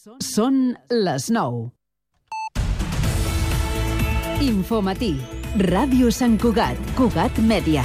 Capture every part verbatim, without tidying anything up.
Són les nou. Infomatí. Ràdio Sant Cugat. Cugat Mèdia.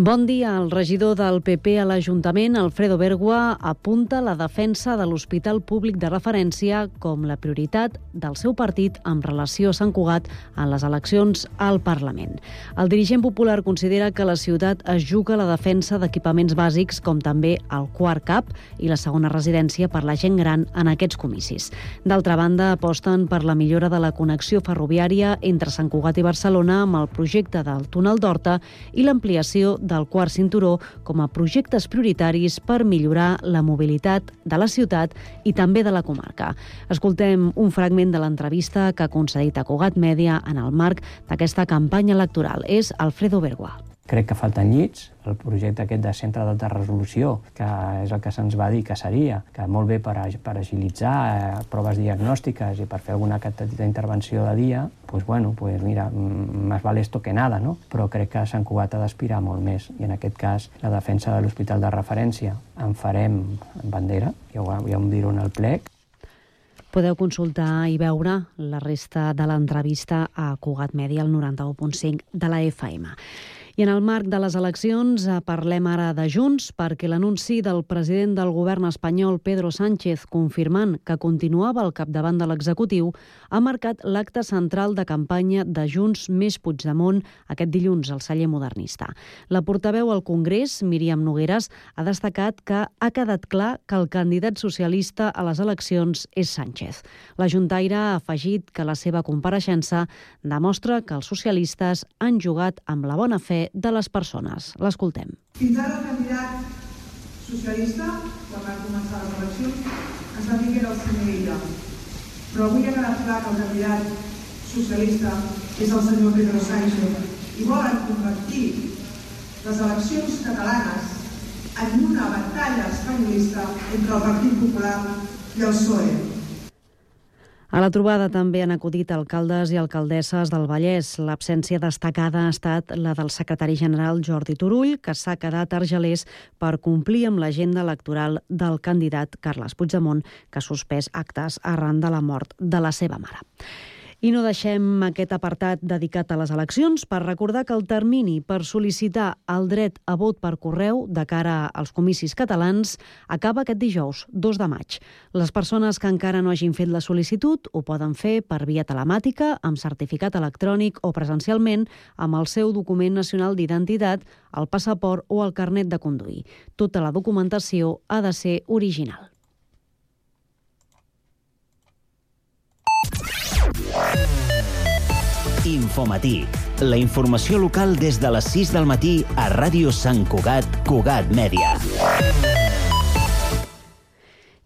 Bon dia. El regidor del P P a l'Ajuntament, Alfredo Bergua, apunta la defensa de l'Hospital Públic de Referència com la prioritat del seu partit en relació a Sant Cugat en les eleccions al Parlament. El dirigent popular considera que la ciutat es juga la defensa d'equipaments bàsics com també el quart C A P i la segona residència per la gent gran en aquests comicis. D'altra banda, aposten per la millora de la connexió ferroviària entre Sant Cugat i Barcelona amb el projecte del túnel d'Horta i l'ampliació del quart cinturó com a projectes prioritaris per millorar la mobilitat de la ciutat i també de la comarca. Escoltem un fragment de l'entrevista que ha concedit a Cugat Mèdia en el marc d'aquesta campanya electoral. És Alfredo Bergua. Crec que falten llits, el projecte aquest de centre d'alta resolució, que és el que se'ns va dir que seria, que molt bé per, per agilitzar eh, proves diagnòstiques i per fer alguna petita intervenció de dia, doncs bueno, pues mira, més vale esto que nada, no? Però crec que Sant Cugat ha d'aspirar molt més, i en aquest cas la defensa de l'hospital de referència en farem bandera, ja ho, ja ho diré en el plec. Podeu consultar i veure la resta de l'entrevista a Cugat Mèdia, al noranta-u punt cinc de la F M. I en el marc de les eleccions parlem ara de Junts, perquè l'anunci del president del govern espanyol, Pedro Sánchez, confirmant que continuava al capdavant de l'executiu, ha marcat l'acte central de campanya de Junts més Puigdemont aquest dilluns al celler modernista. La portaveu al Congrés, Míriam Nogueras, ha destacat que ha quedat clar que el candidat socialista a les eleccions és Sánchez. La juntaire ha afegit que la seva compareixença demostra que els socialistes han jugat amb la bona fe de les persones. L'escoltem. Fins ara el candidat socialista, quan van començar les eleccions, ens va dir que era el senyor Illa. Però avui ha quedat clar que el candidat socialista és el senyor Pedro Sánchez i volen convertir les eleccions catalanes en una batalla espanyolista entre el Partit Popular i el P S O E. A la trobada també han acudit alcaldes i alcaldesses del Vallès. L'absència destacada ha estat la del secretari general Jordi Turull, que s'ha quedat argelers per complir amb l'agenda electoral del candidat Carles Puigdemont, que ha suspès actes arran de la mort de la seva mare. I no deixem aquest apartat dedicat a les eleccions per recordar que el termini per sol·licitar el dret a vot per correu de cara als comicis catalans acaba aquest dijous, dos de maig. Les persones que encara no hagin fet la sol·licitud ho poden fer per via telemàtica, amb certificat electrònic o presencialment amb el seu document nacional d'identitat, el passaport o el carnet de conduir. Tota la documentació ha de ser original. Infomatí, la informació local des de les sis del matí a Ràdio Sant Cugat, Cugat Mèdia.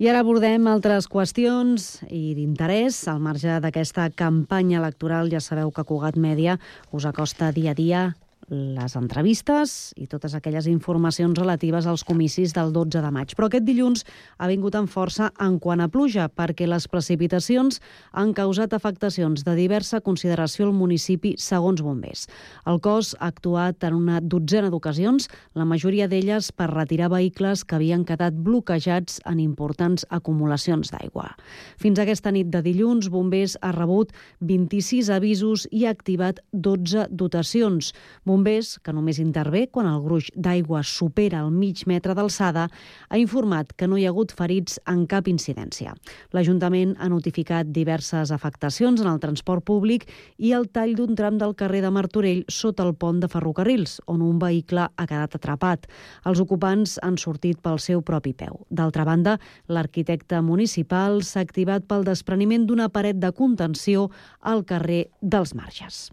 I ara abordem altres qüestions i d'interès. Al marge d'aquesta campanya electoral, ja sabeu que Cugat Mèdia us acosta dia a dia les entrevistes i totes aquelles informacions relatives als comicis del dotze de maig. Però aquest dilluns ha vingut amb força en quant a pluja, perquè les precipitacions han causat afectacions de diversa consideració al municipi, segons bombers. El cos ha actuat en una dotzena d'ocasions, la majoria d'elles per retirar vehicles que havien quedat bloquejats en importants acumulacions d'aigua. Fins aquesta nit de dilluns, bombers ha rebut vint-i-sis avisos i ha activat dotze dotacions. Bombers, que només intervé quan el gruix d'aigua supera el mig metre d'alçada, ha informat que no hi ha hagut ferits en cap incidència. L'Ajuntament ha notificat diverses afectacions en el transport públic i el tall d'un tram del carrer de Martorell sota el pont de ferrocarrils, on un vehicle ha quedat atrapat. Els ocupants han sortit pel seu propi peu. D'altra banda, l'arquitecte municipal s'ha activat pel despreniment d'una paret de contenció al carrer dels Marges.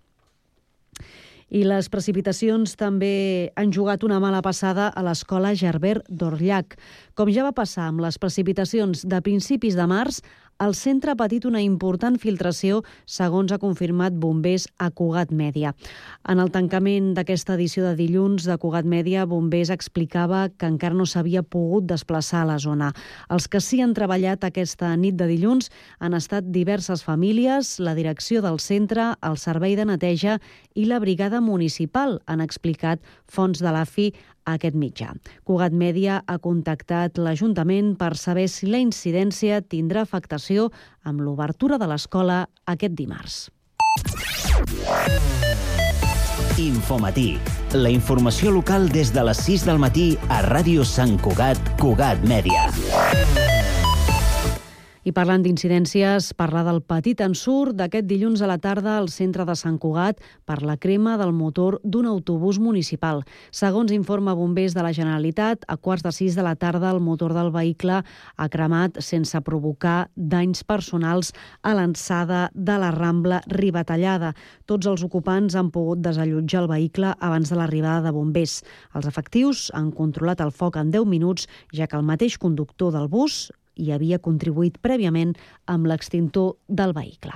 I les precipitacions també han jugat una mala passada a l'escola Gerbert d'Orllac. Com ja va passar amb les precipitacions de principis de març, el centre ha patit una important filtració, segons ha confirmat bombers a Cugat Mèdia. En el tancament d'aquesta edició de dilluns de Cugat Mèdia, bombers explicava que encara no s'havia pogut desplaçar a la zona. Els que sí han treballat aquesta nit de dilluns han estat diverses famílies, la direcció del centre, el servei de neteja i la brigada municipal, han explicat fonts de l'A F I aquest mitjà. Cugat Mèdia ha contactat l'Ajuntament per saber si la incidència tindrà afectació amb l'obertura de l'escola aquest dimarts. Infomatí. La informació local des de les sis del matí a Ràdio Sant Cugat, Cugat Mèdia. I parlant d'incidències, parlar del petit ensurt d'aquest dilluns a la tarda al centre de Sant Cugat per la crema del motor d'un autobús municipal. Segons informa Bombers de la Generalitat, a quarts de sis de la tarda el motor del vehicle ha cremat sense provocar danys personals a l'alçada de la Rambla Ribatallada. Tots els ocupants han pogut desallotjar el vehicle abans de l'arribada de bombers. Els efectius han controlat el foc en deu minuts, ja que el mateix conductor del bus i havia contribuït prèviament amb l'extintor del vehicle.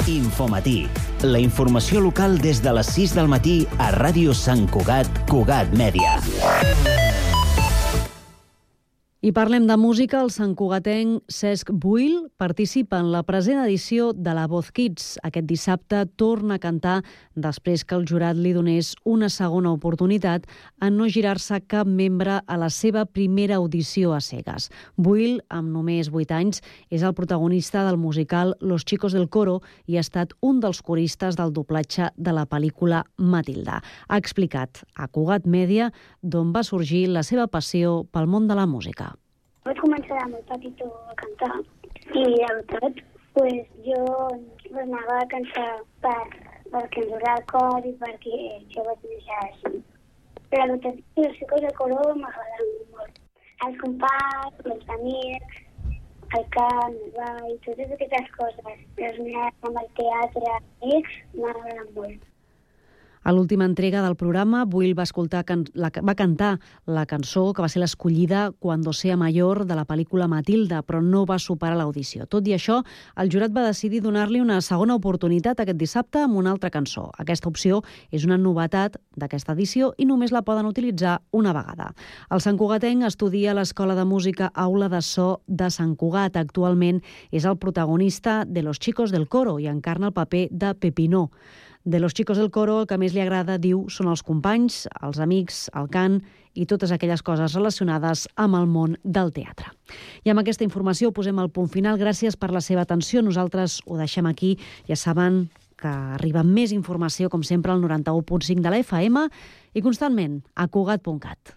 Infomatí. La informació local des de les sis del matí a Ràdio Sant Cugat, Cugat Mèdia. I parlem de música. El santcugatenc Cesc Buil participa en la present edició de La Voz Kids. Aquest dissabte torna a cantar després que el jurat li donés una segona oportunitat en no girar-se cap membre a la seva primera audició a cegues. Buil, amb només vuit anys, és el protagonista del musical Los Chicos del Coro i ha estat un dels coristes del doblatge de la pel·lícula Matilda. Ha explicat a Cugat Mèdia d'on va sorgir la seva passió pel món de la música. Vaig començar de molt petitó a cantar i, la veritat, pues, jo anava a cantar per, perquè ens agrada el cor i perquè jo vaig deixar així. Però la veritat, els Chicos del Coro m'agraden molt. Els companys, els amics, el cant, el ball, totes aquestes coses. Els nens amb el teatre, amics, m'agraden molt. A l'última entrega del programa, Buil va, escoltar, la, va cantar la cançó que va ser l'escollida Cuando sea mayor de la pel·lícula Matilda, però no va superar l'audició. Tot i això, el jurat va decidir donar-li una segona oportunitat aquest dissabte amb una altra cançó. Aquesta opció és una novetat d'aquesta edició i només la poden utilitzar una vegada. El santcugatenc estudia a l'Escola de Música Aula de So de Sant Cugat. Actualment és el protagonista de Los Chicos del Coro i encarna el paper de Pepinó. De Los Chicos del Coro, el que més li agrada, diu, són els companys, els amics, el cant i totes aquelles coses relacionades amb el món del teatre. I amb aquesta informació posem el punt final. Gràcies per la seva atenció. Nosaltres ho deixem aquí. Ja saben que arriba més informació, com sempre, al noranta-u punt cinc de la F M i constantment a cugat punt cat.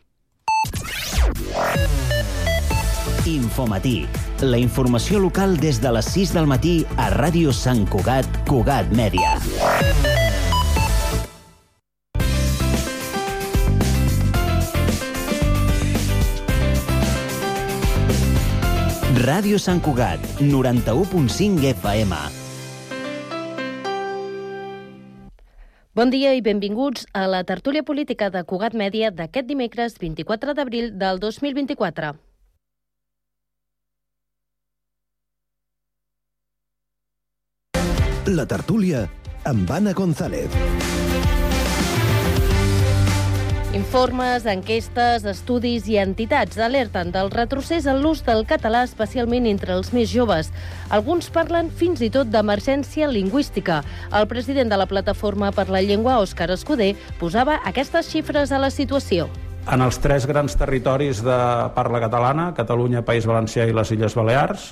Infomatí. La informació local des de les sis del matí a Ràdio Sant Cugat, Cugat Mèdia. Ràdio Sant Cugat, noranta-u punt cinc F M. Bon dia i benvinguts a la tertúlia política de Cugat Mèdia d'aquest dimecres vint-i-quatre d'abril del dos mil vint-i-quatre. La tertúlia amb Anna González. Informes, enquestes, estudis i entitats alerten del retrocés en l'ús del català, especialment entre els més joves. Alguns parlen fins i tot d'emergència lingüística. El president de la Plataforma per la Llengua, Òscar Escudé, posava aquestes xifres a la situació. En els tres grans territoris de parla catalana, Catalunya, País Valencià i les Illes Balears,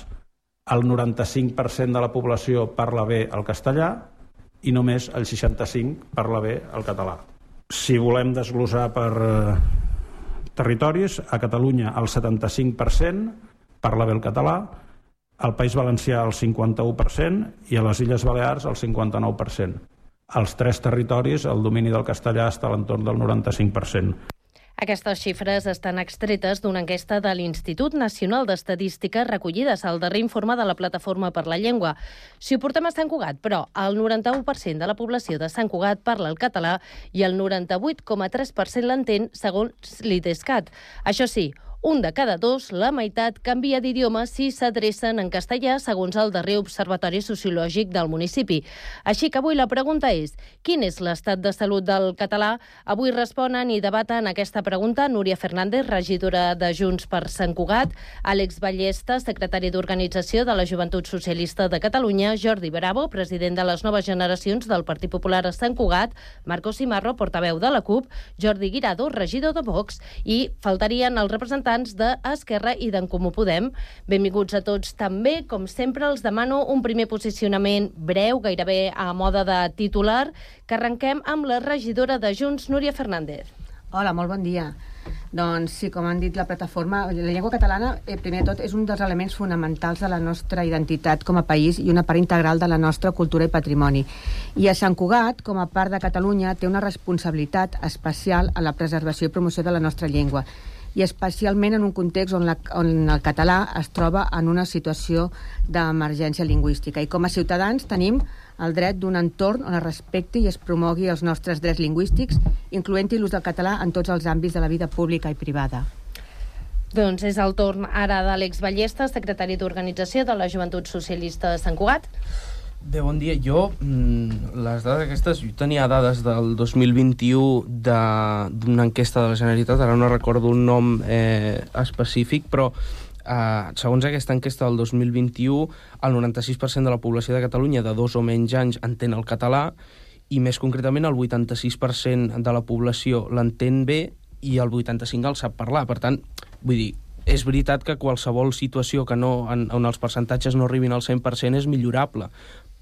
el noranta-cinc per cent de la població parla bé el castellà i només el seixanta-cinc per cent parla bé el català. Si volem desglossar per eh, territoris, a Catalunya el setanta-cinc per cent parla bé el català, al País Valencià el cinquanta-u per cent i a les Illes Balears el cinquanta-nou per cent. Als tres territoris el domini del castellà està a l'entorn del noranta-cinc per cent. Aquestes xifres estan extretes d'una enquesta de l'Institut Nacional d'Estadística recollides al darrer informe de la Plataforma per la Llengua. Si ho portem a Sant Cugat, però, el noranta-u per cent de la població de Sant Cugat parla el català i el noranta-vuit coma tres per cent l'entén, segons l'IDESCAT. Això sí, Un de cada dos, la meitat, canvia d'idioma si s'adrecen en castellà, segons el darrer Observatori Sociològic del municipi. Així que avui la pregunta és: quin és l'estat de salut del català? Avui responen i debaten aquesta pregunta Núria Fernández, regidora de Junts per Sant Cugat, Àlex Ballesta, secretari d'Organització de la Joventut Socialista de Catalunya, Jordi Bravo, president de les Noves Generacions del Partit Popular a Sant Cugat, Marco Simarro, portaveu de la CUP, Jordi Guirado, regidor de Vox, i faltarien els representants d'Esquerra i d'en Comú Podem. Benvinguts a tots. També, com sempre, els demano un primer posicionament breu, gairebé a moda de titular, que arrenquem amb la regidora de Junts, Núria Fernández. Hola, molt bon dia. Doncs sí, com han dit la plataforma, la llengua catalana, eh, primer de tot, és un dels elements fonamentals de la nostra identitat com a país i una part integral de la nostra cultura i patrimoni. I a Sant Cugat, com a part de Catalunya, té una responsabilitat especial a la preservació i promoció de la nostra llengua, i especialment en un context on, la, on el català es troba en una situació d'emergència lingüística. I com a ciutadans tenim el dret d'un entorn on es respecti i es promogui els nostres drets lingüístics, incloent-hi l'ús del català en tots els àmbits de la vida pública i privada. Doncs és el torn ara d'Àlex Ballesta, secretari d'Organització de la Joventut Socialista de Sant Cugat. Bé, bon dia. Jo, les dades aquestes, jo tenia dades del dos mil vint-i-u d'una enquesta de la Generalitat, ara no recordo un nom eh, específic, però Uh, segons aquesta enquesta del dos mil vint-i-u, el noranta-sis per cent de la població de Catalunya de dos o menys anys entén el català, i més concretament el vuitanta-sis per cent de la població l'entén bé i el vuitanta-cinc per cent el sap parlar. Per tant, vull dir, és veritat que qualsevol situació que no, en, on els percentatges no arribin al cent per cent és millorable,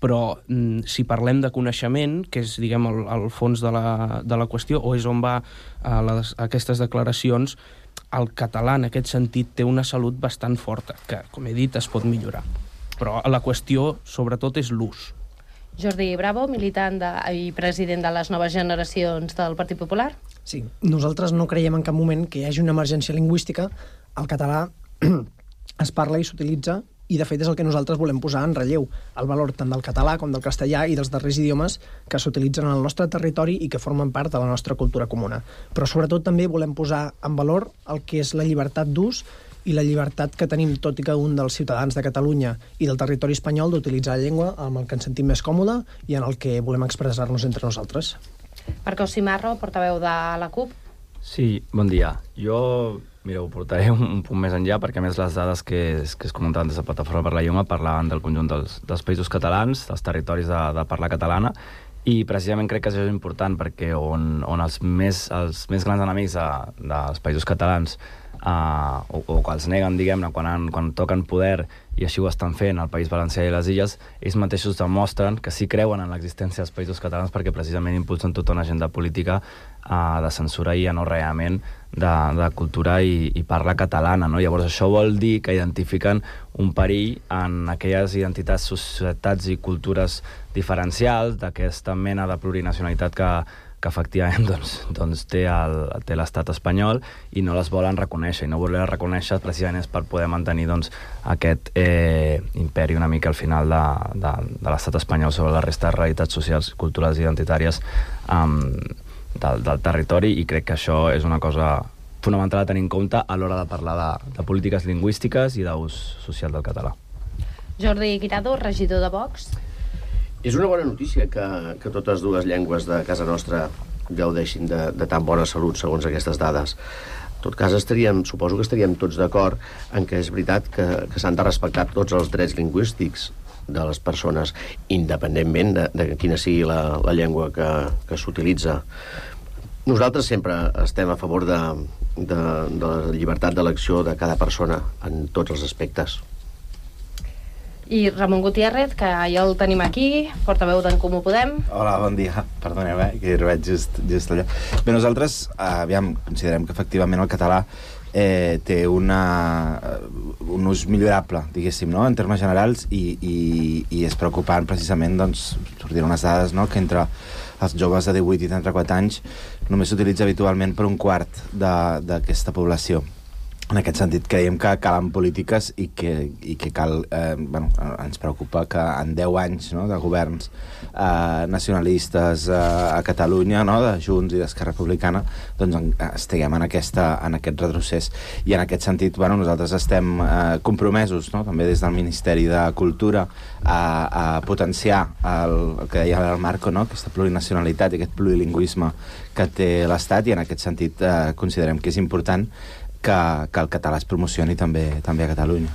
però mm, si parlem de coneixement, que és, diguem, el, el fons de la, de la qüestió, o és on va uh, les, aquestes declaracions, el català en aquest sentit té una salut bastant forta, que, com he dit, es pot millorar. Però la qüestió, sobretot, és l'ús. Jordi Bravo, militant de, i president de les Noves Generacions del Partit Popular. Sí, nosaltres no creiem en cap moment que hi hagi una emergència lingüística. El català es parla i s'utilitza, i de fet és el que nosaltres volem posar en relleu, el valor tant del català com del castellà i dels darrers idiomes que s'utilitzen al nostre territori i que formen part de la nostra cultura comuna. Però sobretot també volem posar en valor el que és la llibertat d'ús i la llibertat que tenim tot i cada un dels ciutadans de Catalunya i del territori espanyol d'utilitzar la llengua amb el que ens sentim més còmode i en el que volem expressar-nos entre nosaltres. Marco Simarro, portaveu de la CUP. Sí, bon dia. Jo... Mireu, portaré un, un punt més enllà, perquè a més les dades que es, que es comentaven des de Plataforma per la Llengua parlaven del conjunt dels, dels països catalans, dels territoris de, de parla catalana, i precisament crec que això és important perquè on, on els, més, els més grans enemics de, dels països catalans Uh, o, o que els neguen, diguem-ne, quan, han, quan toquen poder, i així ho estan fent al País Valencià i les Illes, ells mateixos demostren que sí creuen en l'existència dels països catalans perquè precisament impulsen tota una agenda política uh, de censura i anorreament de, de cultura i, i parla catalana, no? Llavors això vol dir que identifiquen un perill en aquelles identitats, societats i cultures diferencials d'aquesta mena de plurinacionalitat que que efectivament doncs, doncs té l'estat espanyol i no les volen reconèixer, i no voler reconèixer precisament és per poder mantenir doncs, aquest eh, imperi una mica al final de, de, de l'estat espanyol sobre la resta de realitats socials, culturals i identitàries um, del, del territori, i crec que això és una cosa fonamental a tenir en compte a l'hora de parlar de, de polítiques lingüístiques i d'ús social del català. Jordi Guirado, regidor de Vox. És una bona notícia que, que totes dues llengües de casa nostra gaudeixin de, de tan bona salut, segons aquestes dades. En tot cas, estaríem, suposo que estaríem tots d'acord en que és veritat que, que s'han de respectar tots els drets lingüístics de les persones, independentment de, de quina sigui la, la llengua que, que s'utilitza. Nosaltres sempre estem a favor de, de, de la llibertat d'elecció de cada persona en tots els aspectes. I Ramon Gutiérrez, que ja el tenim aquí, portaveu d'en Comú Podem. Hola, bon dia. Perdoneu, eh, que hi veig just, just allà. Bé, nosaltres, aviam, considerem que efectivament el català eh, té una, un ús millorable, diguéssim, no?, en termes generals, i, i, i és preocupant precisament, doncs, sortir unes dades, no?, que entre els joves de divuit i trenta-quatre anys només s'utilitza habitualment per un quart d'aquesta població. en aquest sentit creiem que calen polítiques i que, i que cal, eh, bueno, ens preocupa que en deu anys, no, de governs eh, nacionalistes eh, a Catalunya, no, de Junts i d'Esquerra Republicana, doncs en, estiguem en, aquesta, en aquest retrocés. I en aquest sentit, bueno, nosaltres estem eh, compromesos, no, també des del Ministeri de Cultura a, a potenciar el, el que deia el Marco, no, aquesta plurinacionalitat i aquest plurilingüisme que té l'Estat, i en aquest sentit eh, considerem que és important que, que el català es promocioni també, també a Catalunya.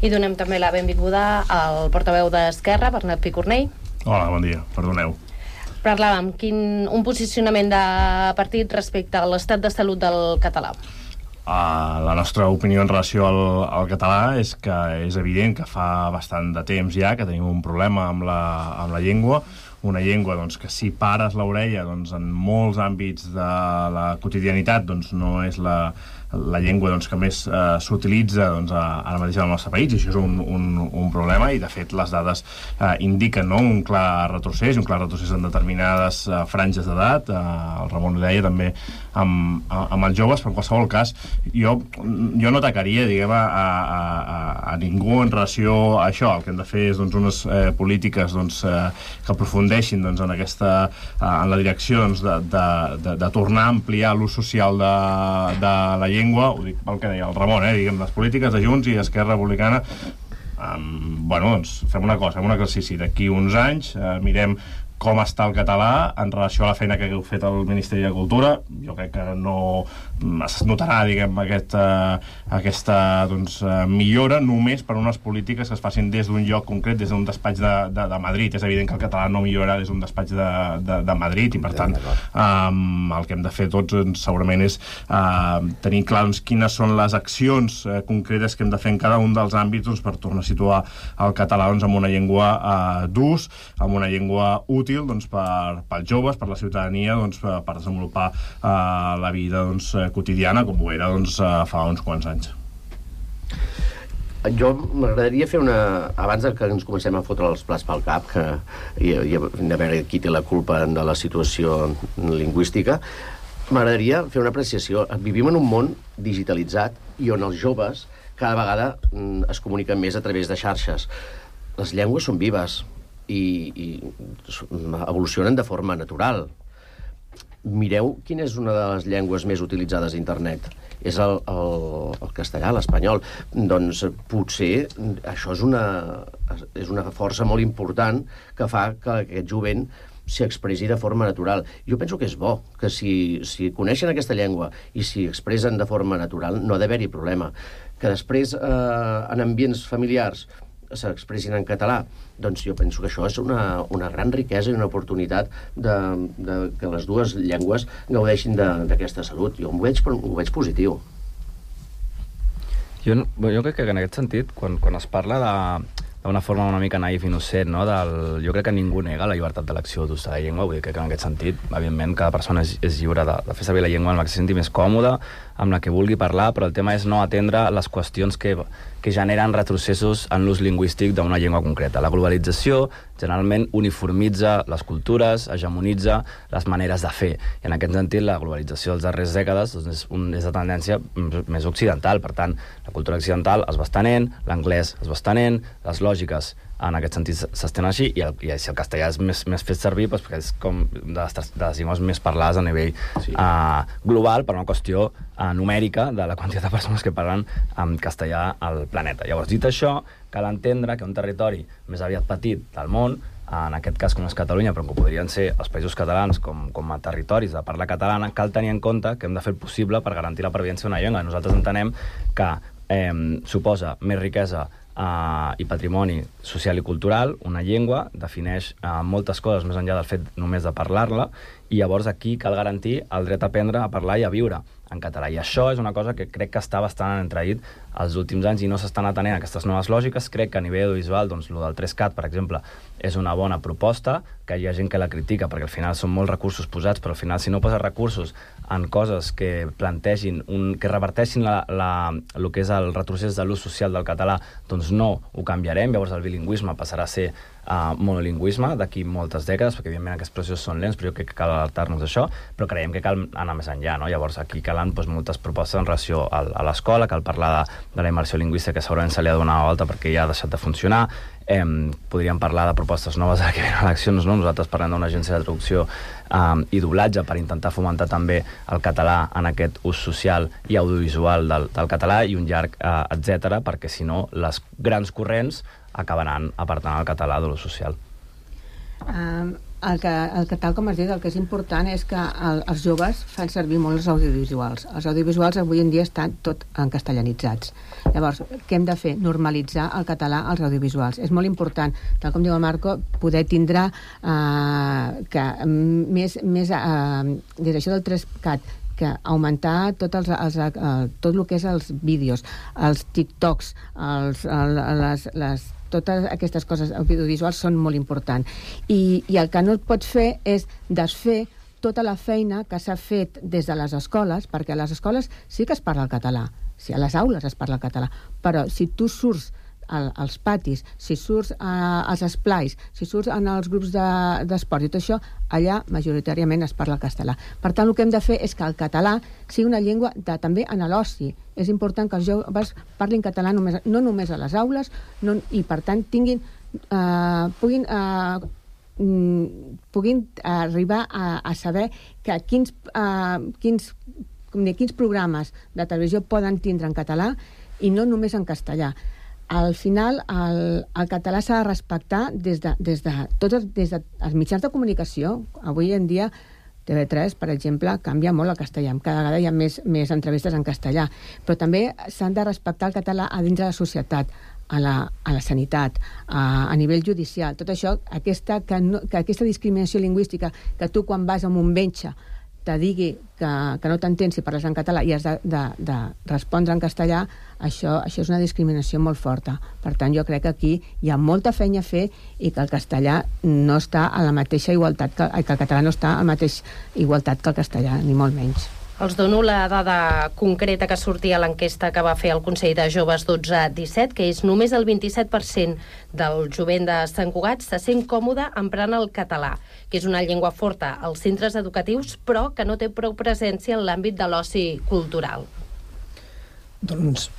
I donem també la benvinguda al portaveu d'Esquerra, Bernat Picornell. Hola, bon dia, perdoneu. Parlàvem, quin, un posicionament de partit respecte a l'estat de salut del català. Uh, la nostra opinió en relació al, al català és que és evident que fa bastant de temps ja que tenim un problema amb la, amb la llengua, una llengua doncs, que si pares l'orella doncs, en molts àmbits de la quotidianitat doncs, no és la, la llengua doncs, que més eh, s'utilitza doncs, ara mateix al nostre país, i això és un, un, un problema, i de fet les dades eh, indiquen, no?, un clar retrocés, un clar retrocés en determinades eh, franges d'edat. Eh, el Ramon ho deia també amb, amb els joves, però en qualsevol cas jo, jo no atacaria, diguem, a, a, a, a ningú en relació a això. El que hem de fer és doncs, unes eh, polítiques doncs, eh, que aprofundeixin doncs, en, aquesta, eh, en la direcció doncs, de, de, de, de tornar a ampliar l'ús social de, de la llengua. Ho dic pel que deia el Ramon, eh, diguem, les polítiques de Junts i Esquerra Republicana. Um, bueno, doncs fem una cosa, fem un exercici. D'aquí uns anys eh, mirem com està el català en relació a la feina que heu fet al Ministeri de Cultura. Jo crec que no es notarà, diguem, aquest, uh, aquesta doncs, uh, millora només per unes polítiques que es facin des d'un lloc concret, des d'un despatx de, de, de Madrid. És evident que el català no millorarà des d'un despatx de, de, de Madrid, i per tant um, el que hem de fer tots doncs, segurament és uh, tenir clar doncs, quines són les accions uh, concretes que hem de fer en cada un dels àmbits doncs, per tornar a situar el català doncs, amb una llengua uh, d'ús, amb una llengua útil doncs, per, pels joves, per la ciutadania, doncs, per, per desenvolupar uh, la vida doncs, quotidiana, com ho era doncs, uh, fa uns quants anys. Jo m'agradaria fer una... Abans que ens comencem a fotre els plats pel cap, que, i, i a veure qui té la culpa de la situació lingüística, m'agradaria fer una apreciació. Vivim en un món digitalitzat i on els joves cada vegada es comuniquen més a través de xarxes. Les llengües són vives i, i evolucionen de forma natural. Mireu quina és una de les llengües més utilitzades a internet. És el, el, el castellà, l'espanyol. Doncs potser això és una, és una força molt important que fa que aquest jovent s'expressi de forma natural. Jo penso que és bo, que si, si coneixen aquesta llengua i s'hi expressen de forma natural, no ha d'haver-hi problema. Que després, eh, en ambients familiars, s'expressin en català, doncs jo penso que això és una, una gran riquesa i una oportunitat de, de que les dues llengües gaudeixin d'aquesta salut. Jo ho veig, ho veig positiu. Jo, jo crec que en aquest sentit, quan, quan es parla de d'una forma una mica naïf i innocent, no? Del, jo crec que ningú nega la llibertat d'elecció d'ús de la llengua, vull dir que en aquest sentit, evidentment, cada persona és, és lliure de, de fer servir la llengua amb la que se senti més còmoda, amb la que vulgui parlar, però el tema és no atendre les qüestions que, que generen retrocessos en l'ús lingüístic d'una llengua concreta. La globalització generalment uniformitza les cultures, hegemonitza les maneres de fer, i en aquest sentit la globalització dels darrers dècades doncs, és, un, és de tendència més occidental. Per tant, la cultura occidental es va estenent, l'anglès es va estenent, les lògiques en aquest sentit s'estén així, i, el, i si el castellà és més, més fet servir doncs, perquè és com de les, de les llengües més parlades a nivell sí. uh, global, per una qüestió uh, numèrica de la quantitat de persones que parlen en castellà al planeta. Llavors, dit això, cal entendre que un territori més aviat petit del món, en aquest cas com és Catalunya, però que podrien ser els països catalans com, com a territoris de parla catalana, cal tenir en compte que hem de fer el possible per garantir la pervivència d'una llengua. Nosaltres entenem que eh, suposa més riquesa Uh, i patrimoni social i cultural. Una llengua defineix uh, moltes coses més enllà del fet només de parlar-la, i llavors aquí cal garantir el dret a aprendre, a parlar i a viure en català. I això és una cosa que crec que està bastant entreït els últims anys i no s'estan atenent aquestes noves lògiques. Crec que a nivell audiovisual, doncs, el del tres cat, per exemple, és una bona proposta, que hi ha gent que la critica perquè al final són molts recursos posats, però al final si no poses recursos en coses que plantegin, un, que reverteixin la, la, el que és el retrocés de l'ús social del català, doncs no ho canviarem. Llavors el bilingüisme passarà a ser uh, monolingüisme d'aquí moltes dècades, perquè evidentment aquests processos són lents, però jo crec que cal alertar-nos d'això, però creiem que cal anar més enllà, no? Llavors aquí calen doncs, moltes propostes en relació a, a l'escola, cal parlar de, de la immersió lingüística, que segurament se li ha donat la volta perquè ja ha deixat de funcionar. Eh, podríem parlar de propostes noves ara que venen eleccions, no? Nosaltres parlem d'una agència de traducció eh, i doblatge per intentar fomentar també el català en aquest ús social i audiovisual del, del català i un llarg eh, etcètera, perquè si no les grans corrents acabaran apartant el català de l'ús social. Um, el, que, el que tal com has dit, el que és important és que el, els joves fan servir molt els audiovisuals. Els audiovisuals avui en dia estan tot encastellanitzats. Llavors, què hem de fer? Normalitzar el català als audiovisuals. És molt important, tal com diu el Marco, poder tindre uh, que més, més uh, des d'això del tres cat, que augmentar tot, els, els, uh, tot el que és els vídeos, els TikToks, els, el, les, les totes aquestes coses audiovisuals són molt importants. I, i el que no et pots fer és desfer tota la feina que s'ha fet des de les escoles, perquè a les escoles sí que es parla el català, sí, a les aules es parla el català, però si tu surts al, als patis, si surts a, als esplais, si surts en els grups d'esport de, i tot això, allà majoritàriament es parla el castellà. Per tant, el que hem de fer és que el català sigui una llengua de, també en l'oci. És important que els joves parlin català només, no només a les aules, no, i per tant tinguin, eh, puguin, eh, puguin arribar a, a saber que quins, eh, quins, quins programes de televisió poden tindre en català i no només en castellà. Al final, el, el català s'ha de respectar des de, des de tots des de, els mitjans de comunicació. Avui en dia T V tres, per exemple, canvia molt el castellà. Cada vegada hi ha més, més entrevistes en castellà. Però també s'han de respectar el català a dins de la societat, a la, a la sanitat, a, a nivell judicial. Tot això, aquesta, que, no, que aquesta discriminació lingüística, que tu quan vas a un metge te digui que, que no t'entens si parles en català i has de, de, de respondre en castellà, això, això és una discriminació molt forta. Per tant, jo crec que aquí hi ha molta feina a fer i que el castellà no està a la mateixa igualtat, que, que el català no està a la mateixa igualtat que el castellà, ni molt menys. Els dono la dada concreta que sortia a l'enquesta que va fer el Consell de Joves dotze disset, que és només el vint-i-set per cent del jovent de Sant Cugat se sent còmode emprant el català, que és una llengua forta als centres educatius, però que no té prou presència en l'àmbit de l'oci cultural. Doncs,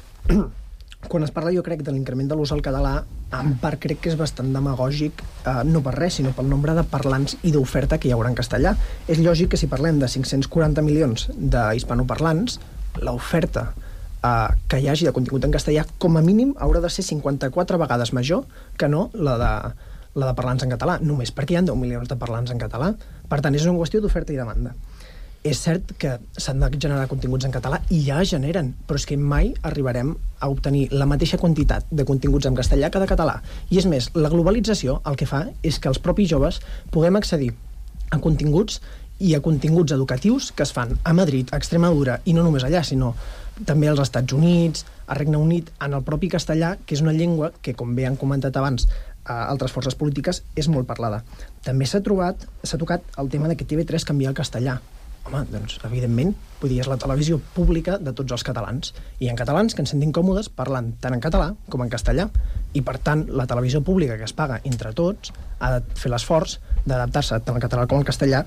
quan es parla, jo crec, de l'increment de l'ús al català, en part crec que és bastant demagògic, eh, no per res, sinó pel nombre de parlants i d'oferta que hi haurà en castellà. És lògic que si parlem de cinc-cents quaranta milions d'hispanoparlants, l'oferta eh, que hi hagi de contingut en castellà, com a mínim, haurà de ser cinquanta-quatre vegades major que no la de, la de parlants en català, només perquè hi ha deu milions de parlants en català. Per tant, és una qüestió d'oferta i demanda. És cert que s'han de generar continguts en català i ja es generen, però és que mai arribarem a obtenir la mateixa quantitat de continguts en castellà que de català. I és més, la globalització el que fa és que els propis joves puguem accedir a continguts i a continguts educatius que es fan a Madrid, a Extremadura, i no només allà, sinó també als Estats Units, a Regne Unit, en el propi castellà, que és una llengua que, com bé han comentat abans a altres forces polítiques, és molt parlada. També s'ha trobat, s'ha tocat el tema de que T V tres canvia el castellà. Home, doncs, evidentment, vull dir, és la televisió pública de tots els catalans. I hi ha catalans que ens sentim còmodes parlant tant en català com en castellà. I, per tant, la televisió pública que es paga entre tots ha de fer l'esforç d'adaptar-se tant al català com al castellà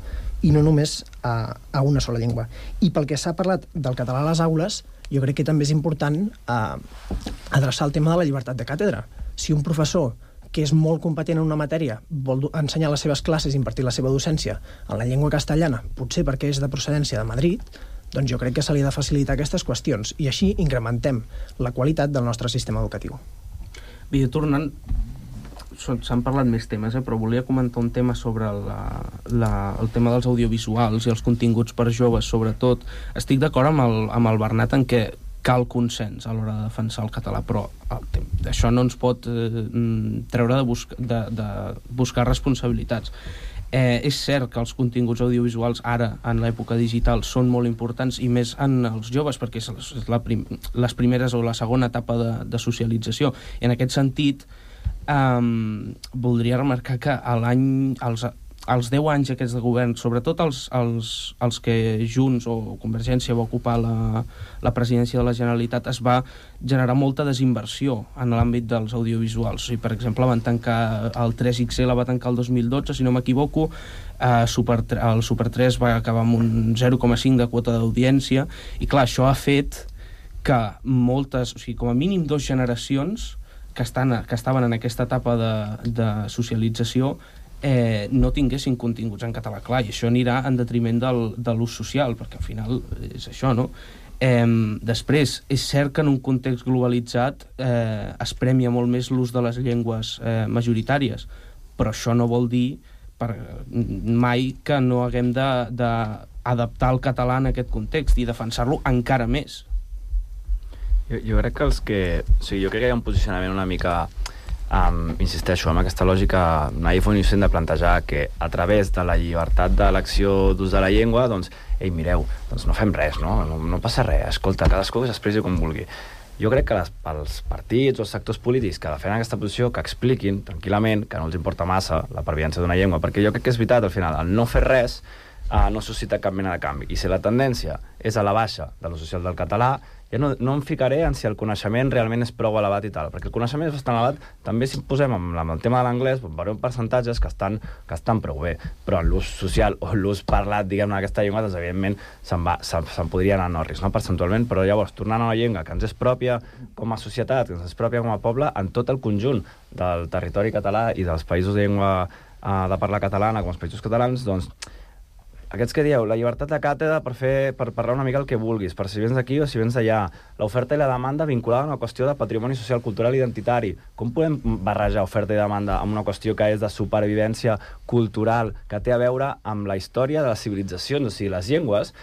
i no només a, a una sola llengua. I pel que s'ha parlat del català a les aules, jo crec que també és important eh, adreçar el tema de la llibertat de càtedra. Si un professor que és molt competent en una matèria, vol ensenyar les seves classes i impartir la seva docència en la llengua castellana, potser perquè és de procedència de Madrid, doncs jo crec que se li ha de facilitar aquestes qüestions i així incrementem la qualitat del nostre sistema educatiu. Bé, tornant, s'han parlat més temes, eh, però volia comentar un tema sobre la, la, el tema dels audiovisuals i els continguts per joves, sobretot. Estic d'acord amb el, amb el Bernat en què cal consens a l'hora de defensar el català, però això no ens pot eh, treure de, busca, de, de buscar responsabilitats. Eh, és cert que els continguts audiovisuals ara, en l'època digital, són molt importants i més en els joves, perquè és la prim, les primeres o la segona etapa de, de socialització. I en aquest sentit, eh, voldria remarcar que a l'any... Els, els deu anys aquests de govern, sobretot els, els, els que Junts o Convergència va ocupar la, la presidència de la Generalitat, es va generar molta desinversió en l'àmbit dels audiovisuals. O sigui, per exemple, van tancar el tres X L va tancar el dos mil dotze, si no m'equivoco, eh, Super, el Super tres va acabar amb un zero coma cinc de quota d'audiència, i clar, això ha fet que moltes, o sigui, com a mínim dues generacions que, estan, que estaven en aquesta etapa de, de socialització eh, no tinguessin continguts en català. Clar, i això anirà en detriment del, de l'ús social, perquè al final és això, no? Eh, després, és cert que en un context globalitzat eh, es premia molt més l'ús de les llengües eh, majoritàries, però això no vol dir per, mai que no haguem d'adaptar el català en aquest context i defensar-lo encara més. Jo, jo crec que els que... O sigui, jo crec que hi ha un posicionament una mica... Um, insisteixo, amb aquesta lògica naïf o innocent de plantejar que a través de la llibertat d'elecció d'ús de la llengua, doncs, ei, mireu, doncs no fem res, no? No, no passa res, escolta, cadascú que s'expressi com vulgui. Jo crec que les, els partits o els sectors polítics que defenen aquesta posició, que expliquin tranquil·lament que no els importa massa la pervivència d'una llengua, perquè jo crec que és veritat, al final, el no fer res uh, no suscita cap mena de canvi. I si la tendència és a la baixa de l'ús social del català, ja no, no em ficaré en si el coneixement realment és prou elevat i tal, perquè el coneixement és bastant elevat, també si posem amb, amb el tema de l'anglès, veurem percentatges que estan, que estan prou bé, però en l'ús social o l'ús parlat, diguem-ne, d'aquesta llengua, doncs evidentment se'n va, se'n, se'n podria anar a Norris, no?, percentualment, però llavors, tornant a una llengua que ens és pròpia com a societat, que ens és pròpia com a poble, en tot el conjunt del territori català i dels països de llengua uh, de parla catalana, com els països catalans, doncs, aquests que dieu, la llibertat de càtedra per, fer, per parlar una mica el que vulguis, per si vens d'aquí o si vens d'allà, l'oferta i la demanda vinculada a una qüestió de patrimoni social, cultural i identitari. Com podem barrejar oferta i demanda amb una qüestió que és de supervivència cultural, que té a veure amb la història de les civilitzacions? O sigui, les llengües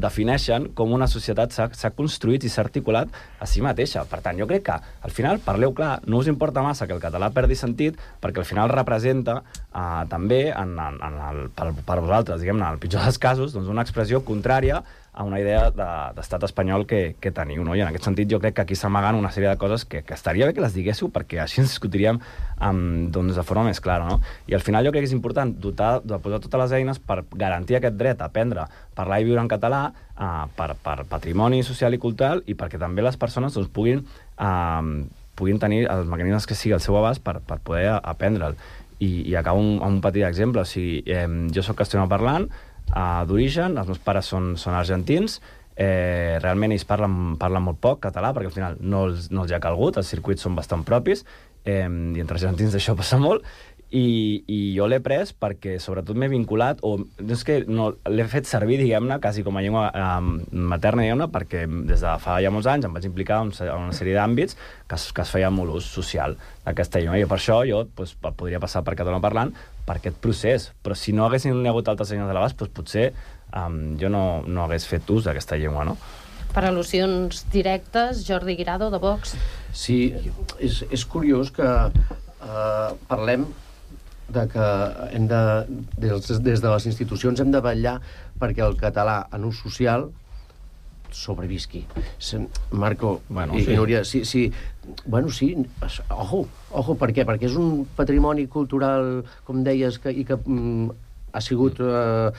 defineixen com una societat s'ha construït i s'ha articulat a si mateixa. Per tant, jo crec que, al final, parleu clar, no us importa massa que el català perdi sentit, perquè al final representa eh, també, en, en, en el, per, per vosaltres, diguem-ne, en el pitjor dels casos, doncs una expressió contrària a una idea d'estat de, espanyol que, que teniu, no? I en aquest sentit jo crec que aquí s'amaguen una sèrie de coses que, que estaria bé que les diguéssiu, perquè així ens discutiríem um, doncs, de forma més clara, no? I al final jo crec que és important dotar, de posar totes les eines per garantir aquest dret a aprendre, parlar i viure en català uh, per, per patrimoni social i cultural, i perquè també les persones doncs, puguin, uh, puguin tenir els mecanismes que sigui al seu abast per, per poder aprendre'l. I, i acabo amb un, un petit exemple. O sigui, eh, jo soc castellanoparlant, Uh, d'origen, els meus pares són, són argentins, eh, realment ells parlen, parlen molt poc català, perquè al final no els, no els hi ha calgut, els circuits són bastant propis, eh, i entre argentins això passa molt, i, i jo l'he pres perquè sobretot m'he vinculat, o no és que no, l'he fet servir, diguem-ne, quasi com a llengua eh, materna, diguem-ne, perquè des de fa ja molts anys em vaig implicar en una sèrie d'àmbits que es, que es feia molt ús social d'aquesta llengua, i per això jo doncs, podria passar per català parlant per aquest procés, però si no haguessin hagut altres llengües a l'abast, doncs potser um, jo no, no hagués fet ús d'aquesta llengua, no? Per al·lucions directes, Jordi Guirado, de Vox. Sí, és, és curiós que uh, parlem de que hem de, des, des de les institucions hem de vetllar perquè el català en ús social sobrevisqui. Marco, bueno, i, sí. i Núria, sí, sí, bueno, sí, ojo, ojo, per què? Perquè és un patrimoni cultural, com deies, que, i que mm, ha sigut eh,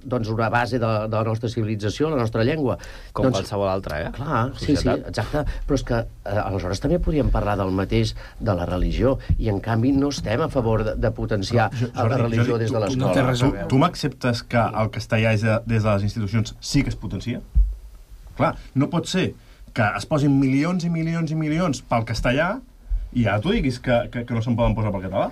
doncs una base de, de la nostra civilització, la nostra llengua. Com doncs, qualsevol altra, eh? Clar, sí, sí, exacte. Però és que eh, aleshores també podríem parlar del mateix de la religió, i en canvi no estem a favor de, de potenciar no, Jordi, la religió Jordi, des de l'escola. No tu, tu m'acceptes que el castellà és de, des de les institucions sí que es potencia? Clar, no pot ser que es posin milions i milions i milions pel castellà i ara tu diguis que, que, que no se'n poden posar pel català.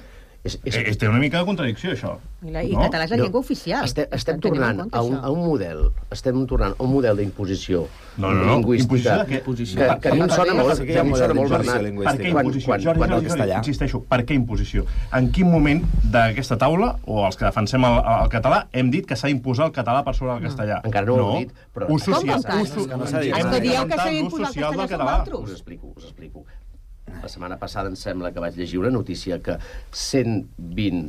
És, és... Eh, té una mica de contradicció, això. I, la, i no? català és la llengua no. oficial. Estem, estem tornant a un, a un model, estem tornant a un model d'imposició no, no, no. lingüística. De imposició? Que, que a mi em sona molt, que a mi em sona molt Bernat. Per què imposició? Quan, quan, Jordi, Jordi, Jordi, insisteixo, per què imposició? En quin moment d'aquesta taula, o els que defensem el, el català, hem dit que s'ha d'imposar el català per sobre el castellà? No. Encara no, no ho he dit. Però... Ús social. Hem de dir que s'ha d'imposar el castellà som altres. Us explico, us explico. La setmana passada em sembla que vaig llegir una notícia que cent vint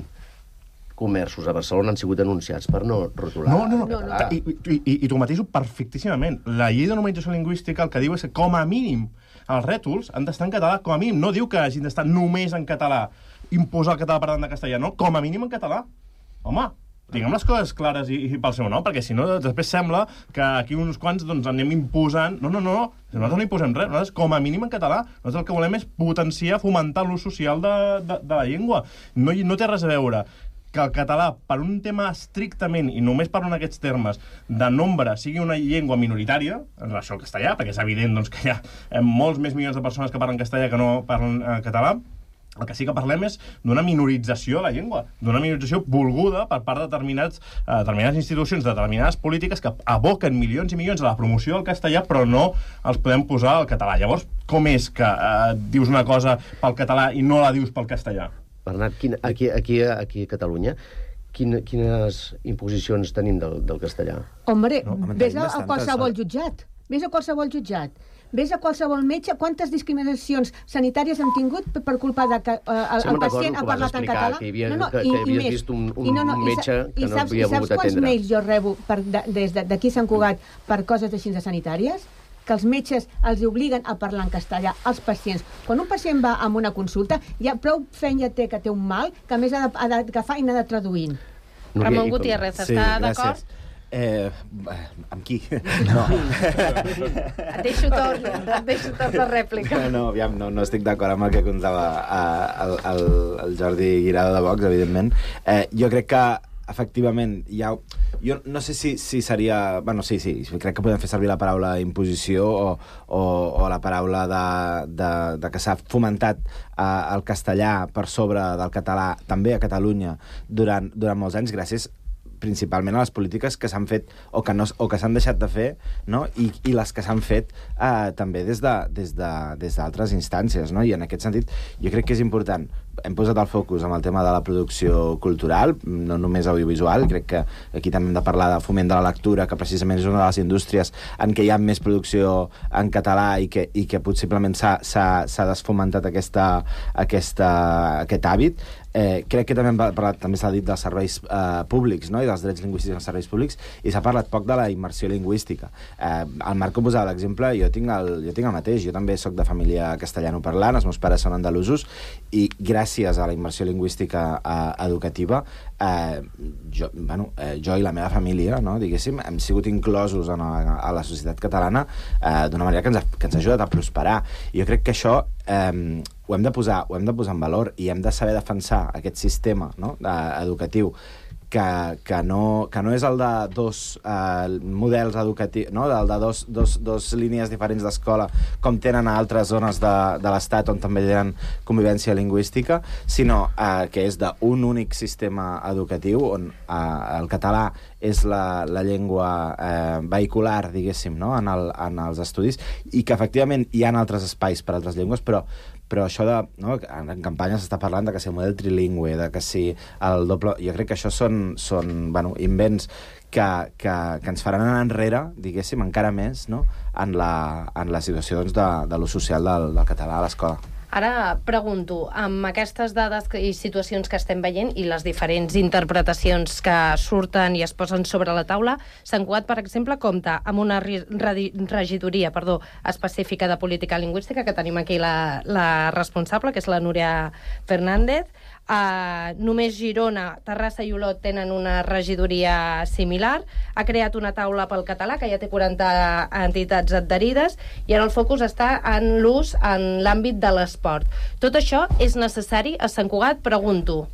comerços a Barcelona han sigut denunciats per no rotular. No, no, no. no. I, i, i, I t'ho mateixo perfectíssimament. La llei de normalització lingüística el que diu és que, com a mínim, els rètols han d'estar en català, com a mínim. No diu que hagin d'estar només en català, imposar el català per davant de castellà, no? Com a mínim en català. home, diguem les coses clares i, i pel seu nom, perquè si no després sembla que aquí uns quants doncs, anem imposant... No, no, no, nosaltres no imposem res, nosaltres com a mínim en català, nosaltres el que volem és potenciar, fomentar l'ús social de, de, de la llengua. No, no té res a veure que el català, per un tema estrictament, i només parlo en aquests termes, de nombre, sigui una llengua minoritària, en relació al castellà, perquè és evident doncs, que hi ha molts més milions de persones que parlen castellà que no parlen eh, català. El que sí que parlem és d'una minorització de la llengua, d'una minorització volguda per part de determinats, eh, determinades institucions, de determinades polítiques que aboquen milions i milions a la promoció del castellà, però no els podem posar al català. Llavors, com és que eh, dius una cosa pel català i no la dius pel castellà? Bernat, quin, aquí, aquí, aquí a Catalunya, quin, quines imposicions tenim del, del castellà? Hombre, no, ves a, a qualsevol jutjat. Ves a qualsevol jutjat. Ves a qualsevol metge, quantes discriminacions sanitàries hem tingut per culpa de que uh, el, el pacient ha parlat en català? Que, havia, no, no, que, i, que havies i vist un, un, I no, no, un metge i, que no saps, havia volgut atendre. I saps quants mails jo rebo per, de, des d'aquí Sant Cugat per coses així de sanitàries? Que els metges els obliguen a parlar en castellà als pacients. Quan un pacient va a una consulta, ja prou feina té que té un mal, que a més ha d'agafar i n'ha de traduir. Ramon Gutiérrez, està sí, d'acord? Eh, amb qui? No. Et deixo torn, et deixo torn de rèplica. No, no, aviam, no, no estic d'acord amb el que contava eh, el, el, el Jordi Guirado de Vox, evidentment. Eh, jo crec que efectivament hi ha... Jo no sé si, si seria... Bueno, sí, sí, crec que podem fer servir la paraula imposició o, o, o la paraula de, de, de que s'ha fomentat eh, el castellà per sobre del català, també a Catalunya, durant, durant molts anys, gràcies principalment a les polítiques que s'han fet o que, no, o que s'han deixat de fer, no? I, i les que s'han fet eh, també des d'altres de, des de, instàncies, no? I en aquest sentit jo crec que és important. Hem posat el focus en el tema de la producció cultural, no només audiovisual, crec que aquí també hem de parlar de foment de la lectura, que precisament és una de les indústries en què hi ha més producció en català i que, i que possiblement s'ha desfomentat aquesta, aquesta, aquest hàbit. Eh, crec que també, parlat, també s'ha dit dels serveis eh, públics, no? I dels drets lingüístics als serveis públics, i s'ha parlat poc de la immersió lingüística. Eh, el Marco posava l'exemple, jo, tinc el, jo tinc el mateix, jo també sóc de família castellanoparlant, els meus pares són andalusos, i gràcies a la immersió lingüística eh, educativa, eh, jo, bueno, eh, jo i la meva família, no, diguéssim, hem sigut inclosos en a, a la societat catalana eh, d'una manera que ens, ha, que ens ha ajudat a prosperar. I jo crec que això eh, ho hem de posar, ho hem de posar en valor i hem de saber defensar aquest sistema, no? eh, educatiu que, que, no, que no és el de dos eh, models educatius, no? el de dos, dos, dos línies diferents d'escola com tenen a altres zones de, de l'Estat on també tenen convivència lingüística, sinó eh, que és d'un únic sistema educatiu on eh, el català és la, la llengua eh, vehicular, diguéssim, no? en, el, en els estudis, i que efectivament hi ha altres espais per a altres llengües, però però això de... No, en campanya s'està parlant de que si el model trilingüe, de que si el doble... Jo crec que això són, són bueno, invents que, que, que ens faran anar enrere, diguéssim, encara més, no? en, la, en la situació doncs, de, de l'ús social del, del català a l'escola. Ara pregunto, amb aquestes dades i situacions que estem veient i les diferents interpretacions que surten i es posen sobre la taula, Sant Cugat, per exemple, compta amb una regidoria perdó, específica de política lingüística, que tenim aquí la, la responsable, que és la Núria Fernández. Uh, només Girona, Terrassa i Olot tenen una regidoria similar. Ha creat una taula pel català que ja té quaranta entitats adherides i ara el focus està en l'ús en l'àmbit de l'esport. Tot això és necessari a Sant Cugat? Pregunto.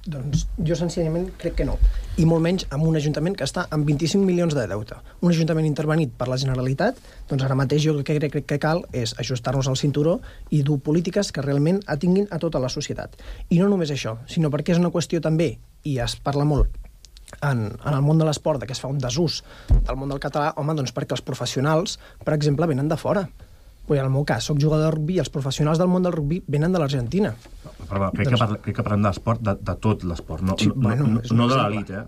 Doncs jo senzillament crec que no. I molt menys amb un ajuntament que està amb vint-i-cinc milions de deute. Un ajuntament intervenit per la Generalitat, doncs ara mateix jo el que crec que cal és ajustar-nos al cinturó i dur polítiques que realment atinguin a tota la societat. I no només això, sinó perquè és una qüestió també, i es parla molt en, en el món de l'esport, que es fa un desús del món del català, home, doncs perquè els professionals, per exemple, venen de fora. Pues en el meu cas, soc jugador de rugby i els professionals del món del rugby venen de l'Argentina. Perdó, crec, doncs... que parla, crec que parlem d'esport, de, de tot l'esport, no, sí, no, bueno, no, no de l'elit, eh?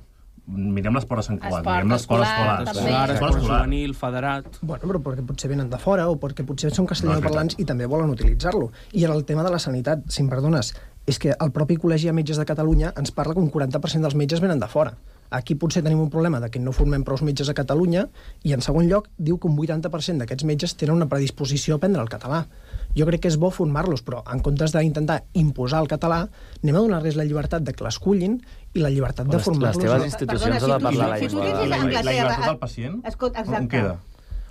Mirem l'esport a Sant Cugat, mirem l'esport escolar. Escolar, esport juvenil, federat... Bueno, però perquè potser venen de fora o perquè potser són castellanoparlants i també volen utilitzar-lo. I en el tema de la sanitat, si em perdones, és que el propi Col·legi de Metges de Catalunya ens parla que un quaranta per cent dels metges venen de fora. Aquí potser tenim un problema de que no formem prou metges a Catalunya i, en segon lloc, diu que un vuitanta per cent d'aquests metges tenen una predisposició a aprendre el català. Jo crec que és bo formar-los, però en comptes d'intentar imposar el català, anem a donar-los la llibertat de que l'escullin i la llibertat de formar-los. Les teves institucions han de parlar la llengua. La llibertat del pacient? On queda?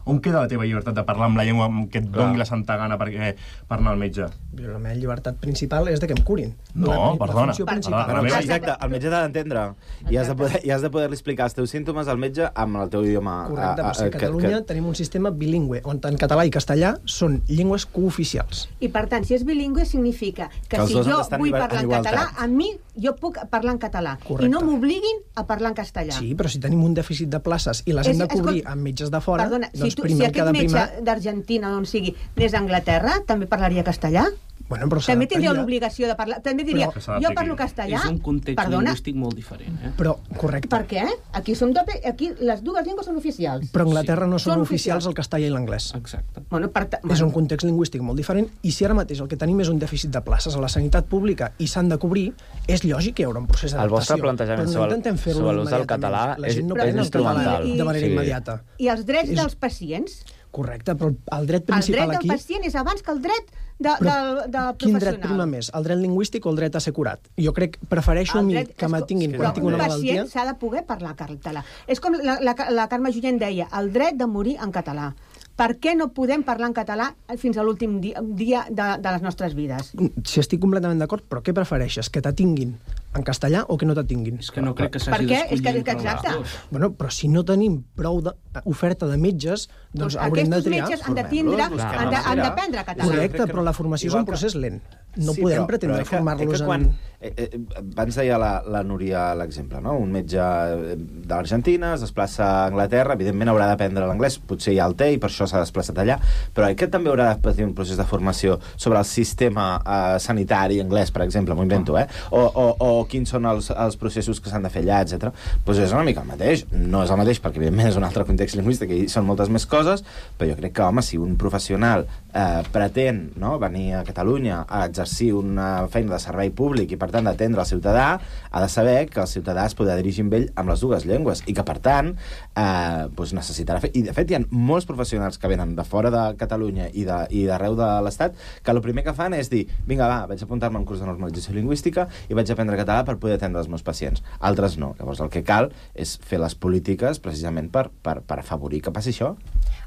On queda la teva llibertat de parlar amb la llengua que et doni la santa gana per anar al metge? La meva llibertat principal és de que em curin. No, la, perdona. La perdona. Però, exacte, el metge t'ha d'entendre. I has de poder, i has de poder-li explicar els teus símptomes al metge amb el teu idioma. Correcte, però si a Catalunya que... tenim un sistema bilingüe, on en català i castellà són llengües cooficials. I per tant, si és bilingüe significa que, que si jo vull parlar en català, a mi jo puc parlar en català. Correcte. I no m'obliguin a parlar en castellà. Sí, però si tenim un dèficit de places i les hem de cobrir amb metges de fora, perdona, doncs si tu, primer si aquest metge d'Argentina, on sigui, anés a Anglaterra, també parlaria castellà? Bueno, però també tindria l'obligació de parlar. També diria, però, jo parlo castellà. És un context perdona, lingüístic molt diferent. Eh? Però, correcte. Per què? Aquí, som doble, aquí les dues llengües són oficials. Però a Anglaterra sí. no són, són oficials el castellà i l'anglès. Exacte. Bueno, per bueno. És un context lingüístic molt diferent i si ara mateix el que tenim és un dèficit de places a la sanitat pública i s'han de cobrir, és lògic que hi haurà un procés d'adaptació. El vostre plantejament no sobre l'ús del català és, no és instrumental. De manera sí. immediata. I els drets és... dels pacients? Correcte, però el dret principal aquí... El dret del pacient és abans que el dret de, de, del, del professional. Quin dret prima més? El dret lingüístic o el dret a ser curat? Jo crec, prefereixo a mi que m'atinguin quan tinc una malaltia... Però un pacient s'ha de poder parlar català. És com la, la, la Carme Junyent deia, el dret de morir en català. Per què no podem parlar en català fins a l'últim dia, dia de, de les nostres vides? Si estic completament d'acord, però què prefereixes? Que t'atinguin en castellà o que no t'atinguin? És que no crec que s'hagi d'escollir entre les dues. Bueno, però si no tenim prou de, oferta de metges, doncs, doncs haurem de triar. Aquests metges han de tindre, han de, han d'aprendre català. Correcte, però la formació és un procés lent. No sí, podem però, pretendre però formar-los quan, en... Eh, eh, abans deia la, la Núria l'exemple, no? Un metge de l'Argentina es desplaça a Anglaterra, evidentment haurà d'aprendre l'anglès, potser ja el té i per això s'ha desplaçat allà, però aquest també haurà de patir un procés de formació sobre el sistema eh, sanitari anglès, per exemple, m'ho invento, eh? O, o, o quins són els, els processos que s'han de fer allà, etcètera. Doncs és una mica el mateix. No és el mateix perquè, evidentment, és un altre context lingüístic i són moltes més coses, però jo crec que, home, si un professional eh, pretén, no?, venir a Catalunya a exercir una feina de servei públic i, per tant, d'atendre el ciutadà, ha de saber que el ciutadà es podrà dirigir amb ell amb les dues llengües i que, per tant, eh, doncs necessitarà fer... I, de fet, hi ha molts professionals que venen de fora de Catalunya i d'arreu de, de l'Estat que el primer que fan és dir, vinga, va, vaig apuntar-me a un curs de normalització lingüística i vaig aprendre català per poder atendre els meus pacients. Altres no. Llavors, el que cal és fer les polítiques precisament per, per, per afavorir que passi això.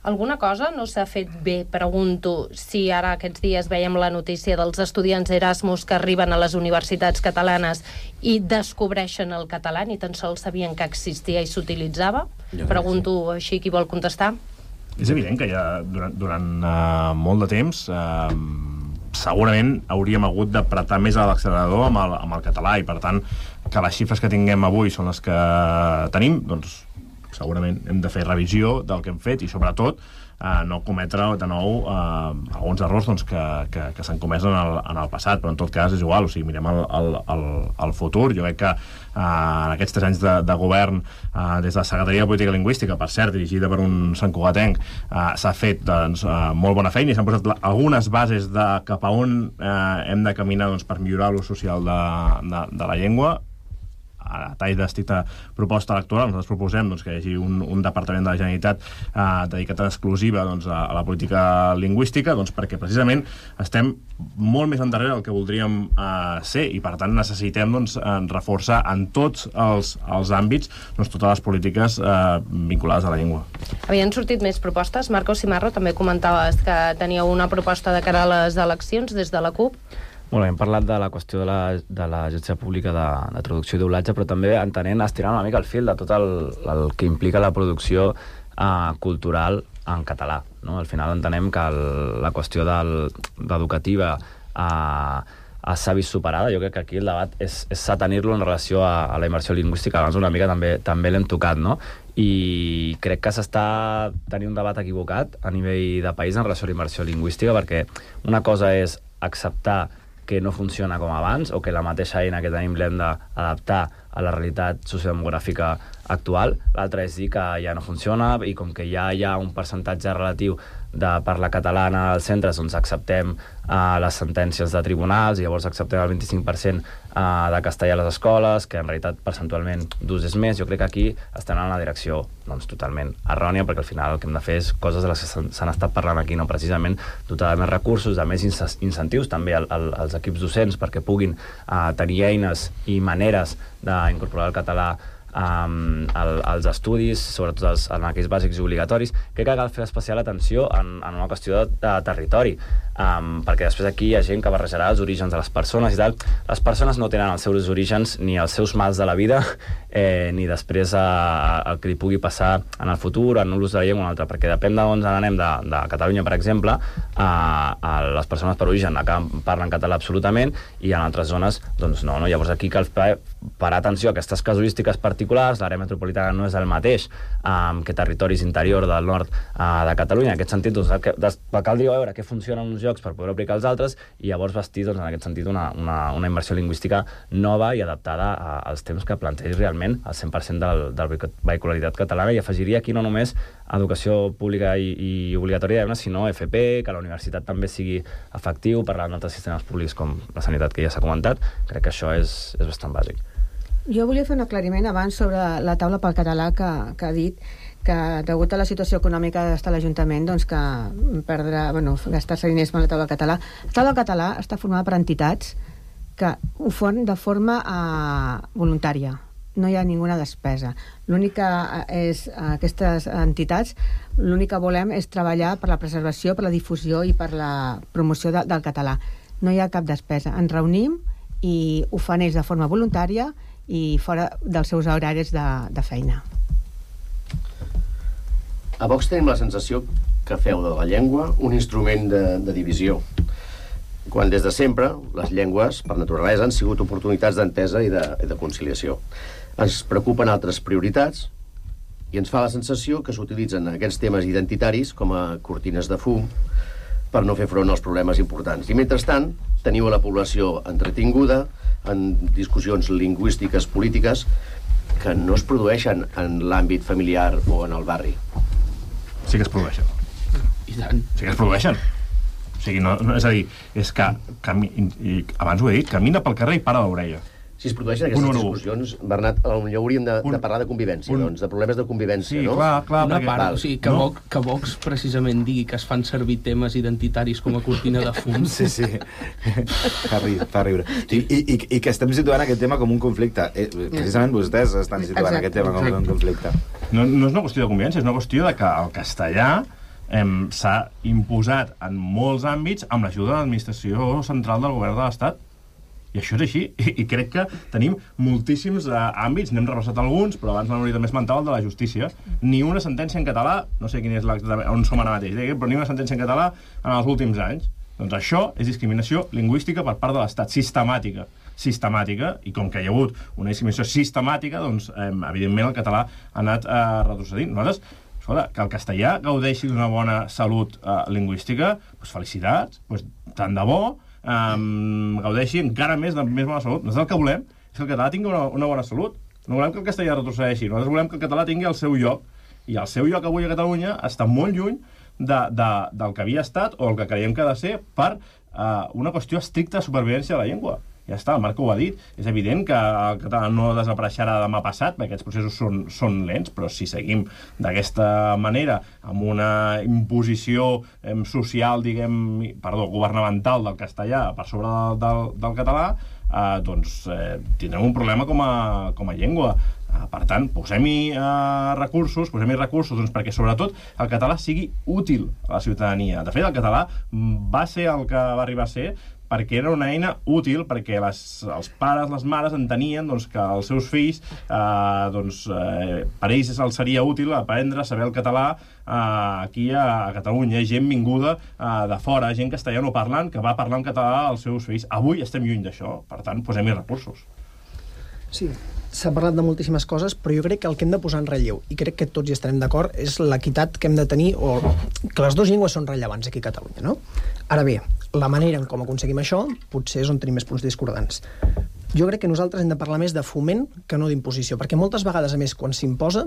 Alguna cosa no s'ha fet bé? Pregunto si ara aquests dies veiem la notícia dels estudiants Erasmus que arriben a les universitats catalanes i descobreixen el català, ni tan sols sabien que existia i s'utilitzava. Pregunto sí. Així, qui vol contestar? És evident que ja durant, durant uh, molt de temps uh, segurament hauríem hagut d'apretar més a l'accelerador amb, el, amb el català i, per tant, que les xifres que tinguem avui són les que tenim, doncs segurament hem de fer revisió del que hem fet i, sobretot, eh, no cometre de nou eh, alguns errors doncs, que, que, que s'han comès en el, en el passat, però en tot cas és igual, o sigui, mirem el, el, el, el futur. Jo crec que eh, en aquests tres anys de, de govern, eh, des de la Secretaria de Política Lingüística, per cert, dirigida per un santcugatenc, eh, s'ha fet doncs, eh, molt bona feina i s'han posat algunes bases de cap a on eh, hem de caminar doncs, per millorar l'ús social de, de, de la llengua. A tall d'estricta proposta electoral, nosaltres proposem doncs, que hi hagi un, un departament de la Generalitat eh, dedicat en exclusiva doncs, a, a la política lingüística, doncs, perquè precisament estem molt més endarrere del que voldríem eh, ser i, per tant, necessitem doncs, reforçar en tots els, els àmbits doncs, totes les polítiques eh, vinculades a la llengua. Havien sortit més propostes? Marco Simarro, també comentaves que teníeu una proposta de cara a les eleccions des de la CUP. Bueno, hem parlat de la qüestió de l'agència pública de, de traducció i doblatge, però també entenent, estirant una mica el fil de tot el, el que implica la producció eh, cultural en català. No? Al final entenem que el, la qüestió educativa eh, s'ha vist superada. Jo crec que aquí el debat és, és tenir-lo en relació a, a la immersió lingüística. Abans una mica també, també l'hem tocat, no? I crec que s'està tenint un debat equivocat a nivell de país en relació a la immersió lingüística, perquè una cosa és acceptar que no funciona com abans o que la mateixa eina que tenim l'hem d'adaptar a la realitat sociodemogràfica actual. L'altre és dir que ja no funciona i com que ja hi ha un percentatge relatiu de parla catalana als centres, doncs acceptem uh, les sentències de tribunals i llavors acceptem el vint-i-cinc per cent uh, de castellà a les escoles, que en realitat percentualment d'ús és més. Jo crec que aquí estem en una direcció doncs, totalment errònia, perquè al final el que hem de fer és coses de les que s'han estat parlant aquí, no? Precisament dotar de més recursos, de més incentius també al, al, als equips docents perquè puguin uh, tenir eines i maneres d'incorporar el català Um, el, els estudis, sobretot els, en aquells bàsics i obligatoris. Crec que cal fer especial atenció en, en una qüestió de, de territori, um, perquè després aquí hi ha gent que barrejarà els orígens de les persones i tal. Les persones no tenen els seus orígens ni els seus mals de la vida, eh, ni després eh, el que li pugui passar en el futur, en l'ús de la llengua o un altre, perquè depèn d'on anem, de, de Catalunya, per exemple, eh, a les persones per origen acá parlen català absolutament i en altres zones, doncs no, no? Llavors aquí cal parar atenció a aquestes casuístiques particulars. L'àrea metropolitana no és el mateix um, que territoris interior del nord uh, de Catalunya. En aquest sentit, doncs, que, des, cal dir a veure què funciona en uns llocs per poder aplicar els altres i llavors bastir, doncs, en aquest sentit, una, una, una immersió lingüística nova i adaptada a, als temps que plantegi realment el cent per cent del, del vehicularitat catalana, i afegiria aquí no només educació pública i, i obligatòria, sinó F P, que la universitat també sigui efectiu, parlant d'altres sistemes públics com la sanitat, que ja s'ha comentat. Crec que això és, és bastant bàsic. Jo volia fer un aclariment abans sobre la taula pel català que, que ha dit que degut a la situació econòmica d'estar a l'Ajuntament, doncs que perdrà, bueno, gastar-se diners amb la taula del català. La taula del català està formada per entitats que ho fan de forma uh, voluntària. No hi ha ninguna despesa. L'únic que és, aquestes entitats, l'únic que volem és treballar per la preservació, per la difusió i per la promoció de, del català. No hi ha cap despesa. Ens reunim i ho fan ells de forma voluntària i fora dels seus horaris de, de feina. A Vox tenim la sensació que feu de la llengua un instrument de, de divisió, quan des de sempre les llengües, per naturalesa, han sigut oportunitats d'entesa i de, i de conciliació. Ens preocupen altres prioritats i ens fa la sensació que s'utilitzen aquests temes identitaris com a cortines de fum per no fer front als problemes importants. I mentrestant, teniu a la població entretinguda en discussions lingüístiques polítiques que no es produeixen en l'àmbit familiar o en el barri. Sí que es produeixen. I tant. Sí que es produeixen. O sigui, no, no, és a dir, és que, cami, i abans ho he dit, camina pel carrer i para l'orella. Si es produeixen aquestes discussions, Bernat, potser hauríem de, de parlar de convivència, un... doncs, de problemes de convivència, sí, no? Clar, clar, Una perquè... part, o sigui, que, no? Vox, que Vox precisament digui que es fan servir temes identitaris com a cortina de fum. Sí, sí. Fa riure. Fa riure. I, i, i, I que estem situant aquest tema com un conflicte. Eh, precisament vostès estan situant Exacte. aquest tema com un conflicte. No, no és una qüestió de convivència, és una qüestió de que el castellà s'ha imposat en molts àmbits amb l'ajuda de l'administració central del govern de l'Estat. I això és així, I, i crec que tenim moltíssims uh, àmbits, n'hem repassat alguns, però abans m'hauria també esmentat el de la justícia. Ni una sentència en català, no sé quin és on som ara mateix, però ni una sentència en català en els últims anys. Doncs això és discriminació lingüística per part de l'Estat, sistemàtica. Sistemàtica, i com que hi ha hagut una discriminació sistemàtica, doncs, eh, evidentment, el català ha anat eh, retrocedint. Nosaltres, escolta, que el castellà gaudeixi d'una bona salut eh, lingüística, doncs felicitats, doncs tant de bo, Um, gaudeixi encara més de més bona salut. Nosaltres el que volem és que el català tingui una, una bona salut. No volem que el castellà retrocedeixi. Nosaltres volem que el català tingui el seu lloc. I el seu lloc avui a Catalunya està molt lluny de, de, del que havia estat o el que creiem que ha de ser per uh, una qüestió estricta de supervivència de la llengua. Ja està, el Marc ho ha dit. És evident que el català no desapareixerà demà passat, perquè aquests processos són, són lents, però si seguim d'aquesta manera, amb una imposició eh, social, diguem, perdó, governamental del castellà per sobre del, del, del català, eh, doncs eh, tindrem un problema com a, com a llengua. Eh, per tant, posem-hi eh, recursos, posem-hi recursos doncs, perquè sobretot el català sigui útil a la ciutadania. De fet, el català va ser el que va arribar a ser perquè era una eina útil, perquè les, els pares, les mares entenien doncs, que els seus fills, eh, doncs, eh, per ells els seria útil aprendre a saber el català eh, aquí a, a Catalunya. Hi ha gent vinguda eh, de fora, gent castellanoparlant, que va parlar en català als seus fills. Avui estem lluny d'això, per tant, posem-hi recursos. Sí, s'ha parlat de moltíssimes coses, però jo crec que el que hem de posar en relleu, i crec que tots hi estarem d'acord, és l'equitat que hem de tenir, o que les dues llengües són rellevants aquí a Catalunya, no? Ara bé, la manera en com aconseguim això potser és on tenim més punts discordants. Jo crec que nosaltres hem de parlar més de foment que no d'imposició, perquè moltes vegades, a més, quan s'imposa,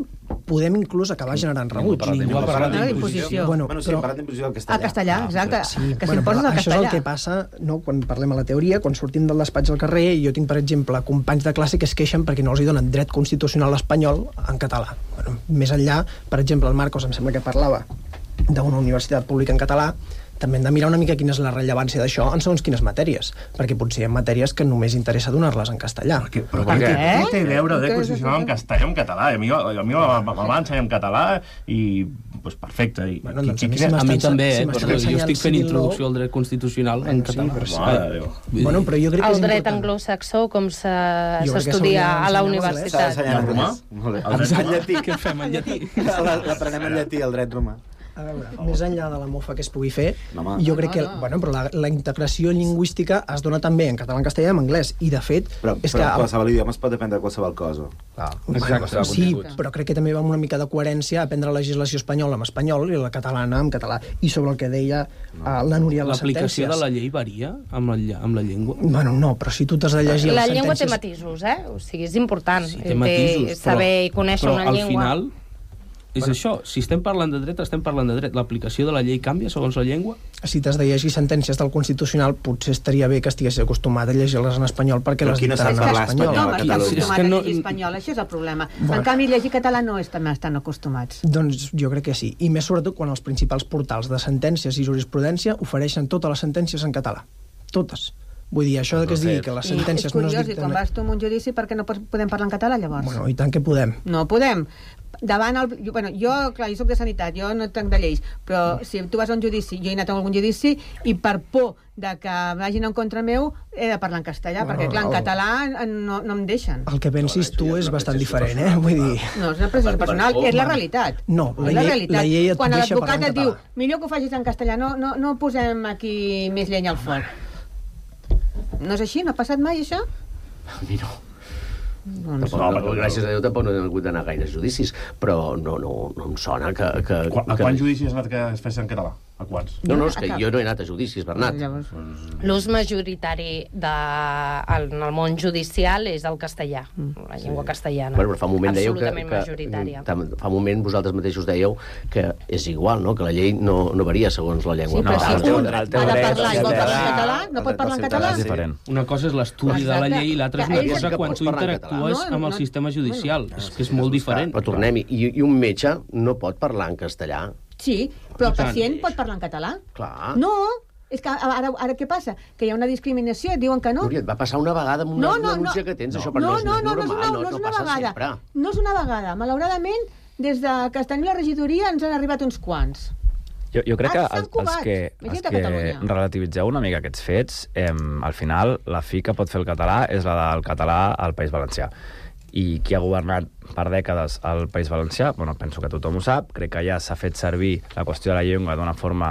podem inclús acabar generant rebuig. Ningú ha parlat d'imposició. Bueno, bueno, sí, però... hem parlat d'imposició del castellà. El castellà, exacte. Sí, que bueno, s'imposa el això castellà. és el que passa, no, quan parlem a la teoria, quan sortim del despatx al carrer, i jo tinc, per exemple, companys de classe que es queixen perquè no els hi donen dret constitucional espanyol en català. Bueno, més enllà, per exemple, el Marcos em sembla que parlava d'una universitat pública en català, també hem de mirar una mica quina és la rellevància d'això en segons quines matèries, perquè potser hi ha matèries que només interessa donar-les en castellà. Perquè, però per què? Què té a veure de constitucional en castellà o en català? A mi, a mi me va ensenyar en català i pues, perfecte. I, bueno, doncs a, mi, a mi també, eh? Però jo estic fent introducció al dret constitucional en català. Sí, però sí. Bueno, però jo crec que el dret anglosaxó, com s'estudia a la universitat. S'ha d'ensenyar en romà? En llatí, què fem en llatí? L'aprenem en llatí, el dret romà. A veure, més enllà de la mofa que es pugui fer, no, jo crec que bueno, però la, la integració lingüística es dona també en català, en castellà i en anglès, i de fet... Però, és però que, qualsevol idioma es pot aprendre qualsevol cosa. Clar, bueno, sí, però crec que també va amb una mica de coherència aprendre la legislació espanyola en espanyol i la catalana en català. I sobre el que deia no. uh, la Núria de les sentències... L'aplicació de la llei varia amb la, amb la llengua? Bueno, no, però si tu t'has de llegir la les llengua sentències... té matisos, eh? O sigui, és important sí, té matisos, té saber però, i conèixer però una llengua. Però al final... És bueno. Això, si estem parlant de dret, estem parlant de dret. L'aplicació de la llei canvia segons la llengua? Si t'has de llegir sentències del Constitucional, potser estaria bé que estigués acostumat a llegir-les en espanyol perquè les dictaran en espanyol. No, està acostumat a llegir espanyol, això és el problema. Bueno. En canvi, llegir català no estan tan acostumats. Doncs jo crec que sí. I més sobretot quan els principals portals de sentències i jurisprudència ofereixen totes les sentències en català. Totes. Vull dir, això que es digui que les sentències no es dicten... I és curiós, i quan vas tu en un judici, per què no podem parlar en català, llavors? Bueno, i tant que podem. No podem. Davant el... Jo, bueno, jo, clar, jo soc de sanitat, jo no tenc de lleis, però si tu vas a un judici, jo he anat a algun judici, i per por de que vagin en contra meu, he de parlar en castellà, bueno, perquè, clar, en català no, no em deixen. El que pensis tu és bastant diferent, eh? Vull dir... No, és una pressió personal, és la realitat. No, la llei, la llei et quan deixa parlar en català. Quan l'advocat et diu, millor que ho facis en castellà, no, no, no posem aquí més llenya al foc. No és així? No ha passat mai, això? A mi no. Doncs no, no, gràcies a Déu tampoc no he hagut d'anar a gaires judicis, però no, no, no em sona que... que a que... quants judicis has anat que es fessin en català? A quants? No, no, és que jo no he anat a judicis, Bernat. L'ús majoritari de, en el món judicial és el castellà, la llengua castellana. Bueno, però fa un moment dèieu que, absolutament majoritària. que fa un moment vosaltres mateixos dèieu que és igual, no? Que la llei no, no varia segons la llengua. Sí, però no, si un ha de parlar i vol parlar en català, no pot parlar en català? Una cosa és l'estudi de la llei i l'altra és una cosa quan tu interactues amb el sistema judicial. És que és molt diferent. Però tornem-hi, i un metge no pot parlar en castellà? Sí, però el pacient pot parlar en català? Clar. No, és que ara, ara què passa? Que hi ha una discriminació, et diuen que no. Núria, et va passar una vegada amb una, no, no, una denúncia no. que tens, no, això per no, no, no, no, no, és normal, no, no, no, no, és no una passa vegada. sempre. No és una vegada. Malauradament, des de que es tenia la regidoria ens han arribat uns quants. Jo, jo crec Ah, que els, els que, els que relativitzeu una mica aquests fets, eh, al final la fi que pot fer el català és la del català al País Valencià. I qui ha governat per dècades al País Valencià, bueno, penso que tothom ho sap, crec que ja s'ha fet servir la qüestió de la llengua d'una forma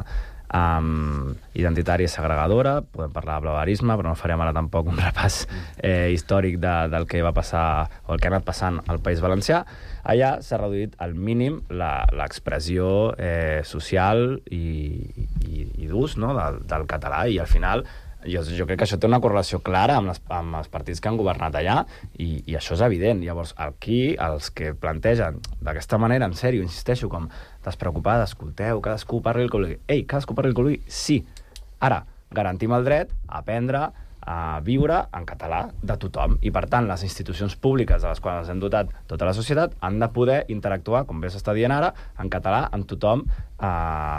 um, identitària i segregadora. Podem parlar de blaverisme, però no farem ara tampoc un repàs eh, històric de, del que va passar o el que ha anat passant al País Valencià. Allà s'ha reduït al mínim l'expressió eh, social i, i, i d'ús, no?, del, del català, i al final Jo, jo crec que això té una correlació clara amb, les, amb els partits que han governat allà i, i això és evident. Llavors, aquí, els que plantegen d'aquesta manera, en sèrio, insisteixo, com despreocupada, escolteu, cadascú parli el que vulgui. Ei, cadascú parli el que vulgui, sí. Ara, garantim el dret a aprendre a viure en català de tothom. I, per tant, les institucions públiques de les quals ens hem dotat tota la societat han de poder interactuar, com bé s'està dient ara, en català amb tothom a,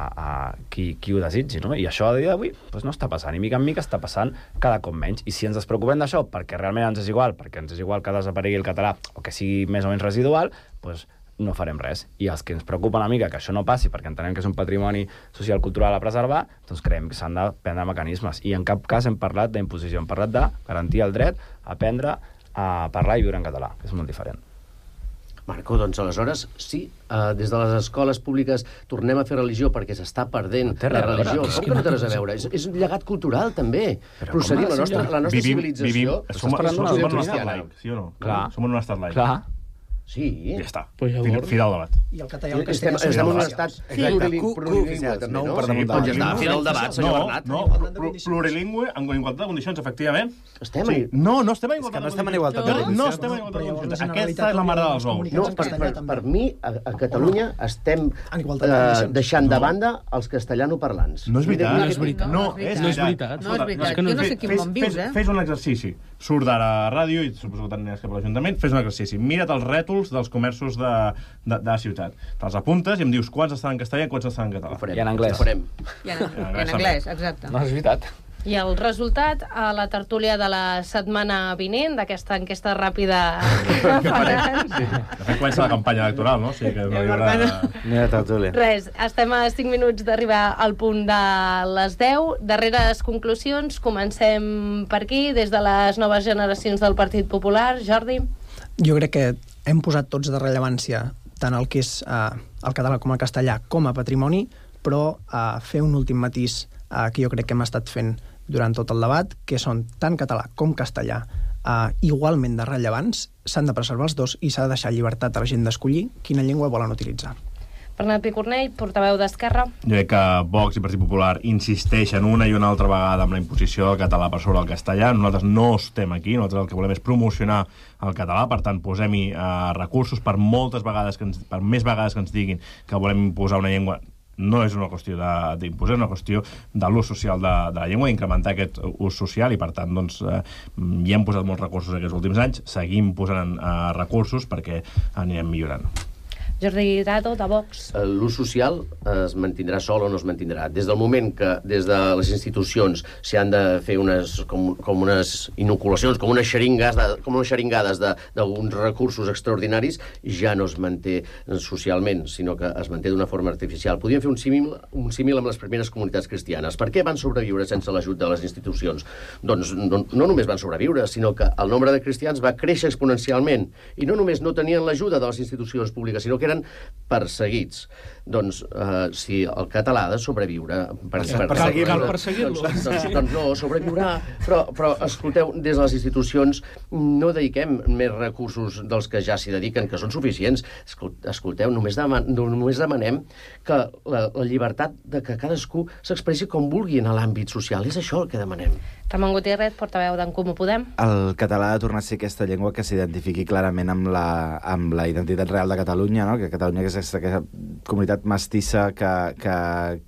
a qui, qui ho desitgi, no? I això a dia d'avui doncs no està passant, i mica en mica està passant cada cop menys. I si ens despreocupem d'això perquè realment ens és igual, perquè ens és igual que desaparegui el català o que sigui més o menys residual, doncs no farem res. I els que ens preocupa una mica que això no passi perquè entenem que és un patrimoni social cultural a preservar, doncs creiem que s'han de prendre mecanismes. I en cap cas hem parlat d'imposició, hem parlat de garantir el dret a aprendre a parlar i viure en català, que és molt diferent. Marco, doncs aleshores, sí, uh, des de les escoles públiques tornem a fer religió perquè s'està perdent no la religió. Com que no té res a veure? És, és un llegat cultural, també. Però procedim, la nostra, la nostra vivim, civilització... Vivim, som, som, som en un estat laic, sí o no? Clar. Som en un estat laic. Clar. Sí. Ja està. Pues fi, fi del debat. I el català i el Estem, castellà estem en un són estat Exacte. plurilingüe, també, no? per damunt de Doncs ja està, la fi del debat, senyor No, Bernat. no, pl- plurilingüe, en igualtat de condicions, efectivament. Estem Sí. en- No, no estem en És que igualtat no de estem en condicions. igualtat de No, condicions. no estem en igualtat de Però llavors, condicions. la Aquesta és la mare dels ous. No, per, per, per mi, a, a Catalunya estem En igualtat de eh, condicions. deixant de banda els castellanoparlants. No és veritat. Mira, No és veritat. No, No és és veritat. veritat. No és veritat. Escolta, Jo no sé fe- quin fes- món vius, fes- eh? Fes un exercici. Surt d'ara a ràdio i suposo que t'aniràs cap a l'Ajuntament. Fes un exercici. Mira't els rètols dels comerços de, de, de la ciutat. Te'ls apuntes i em dius quants estan en castellà i quants estan en català. Ho farem. I en anglès. Ho farem. I en, i en anglès, exacte. No, és veritat. I el resultat a la tertúlia de la setmana vinent, d'aquesta enquesta ràpida que faran. Sí. De fet, comença la campanya electoral, no? O sigui que no hi haurà... Mira, tertúlia. Res, estem a cinc minuts d'arribar al punt de les deu. Darreres conclusions, comencem per aquí, des de les noves generacions del Partit Popular. Jordi? Jo crec que hem posat tots de rellevància tant el que és eh, el català com el castellà com a patrimoni, però eh, fer un últim matís eh, que jo crec que hem estat fent durant tot el debat, que són tant català com castellà eh, igualment de rellevants, s'han de preservar els dos i s'ha de deixar llibertat a la gent d'escollir quina llengua volen utilitzar. Bernat Picornell, portaveu d'Esquerra. Jo crec que Vox i Partit Popular insisteixen una i una altra vegada amb la imposició del català per sobre el castellà. Nosaltres no estem aquí, nosaltres el que volem és promocionar el català, per tant posem-hi eh, recursos per moltes vegades, que ens, per més vegades que ens diguin que volem imposar una llengua. No és una qüestió d'imposar, és una qüestió de l'ús social de, de la llengua, d'incrementar aquest ús social, i per tant doncs, eh, hi hem posat molts recursos aquests últims anys, seguim posant eh, recursos perquè anirem millorant. Jordi Grado, de Vox. L'ús social es mantindrà sol o no es mantindrà. Des del moment que des de les institucions s'hi han de fer unes, com, com unes inoculacions, com unes xeringues, de, com unes xeringades d'alguns recursos extraordinaris, ja no es manté socialment, sinó que es manté d'una forma artificial. Podríem fer un símil, un símil amb les primeres comunitats cristianes. Per què van sobreviure sense l'ajut de les institucions? Doncs no, no només van sobreviure, sinó que el nombre de cristians va créixer exponencialment. I no només no tenien l'ajuda de les institucions públiques, sinó que eren perseguits. Doncs, eh, si el català ha de sobreviure... Per, per, Cal, cal perseguir-lo. Doncs, doncs, doncs no, sobreviurà. Però, però, escolteu, des de les institucions no dediquem més recursos dels que ja s'hi dediquen, que són suficients. Escolteu, només, deman, només demanem que la, la llibertat de que cadascú s'expressi com vulgui en l'àmbit social. És això el que demanem. Ramon Gutiérrez, portaveu d'en Comú Podem. El català ha de tornar a ser aquesta llengua que s'identifiqui clarament amb la, amb la identitat real de Catalunya, no? Que Catalunya és aquesta, aquesta comunitat mestissa que, que,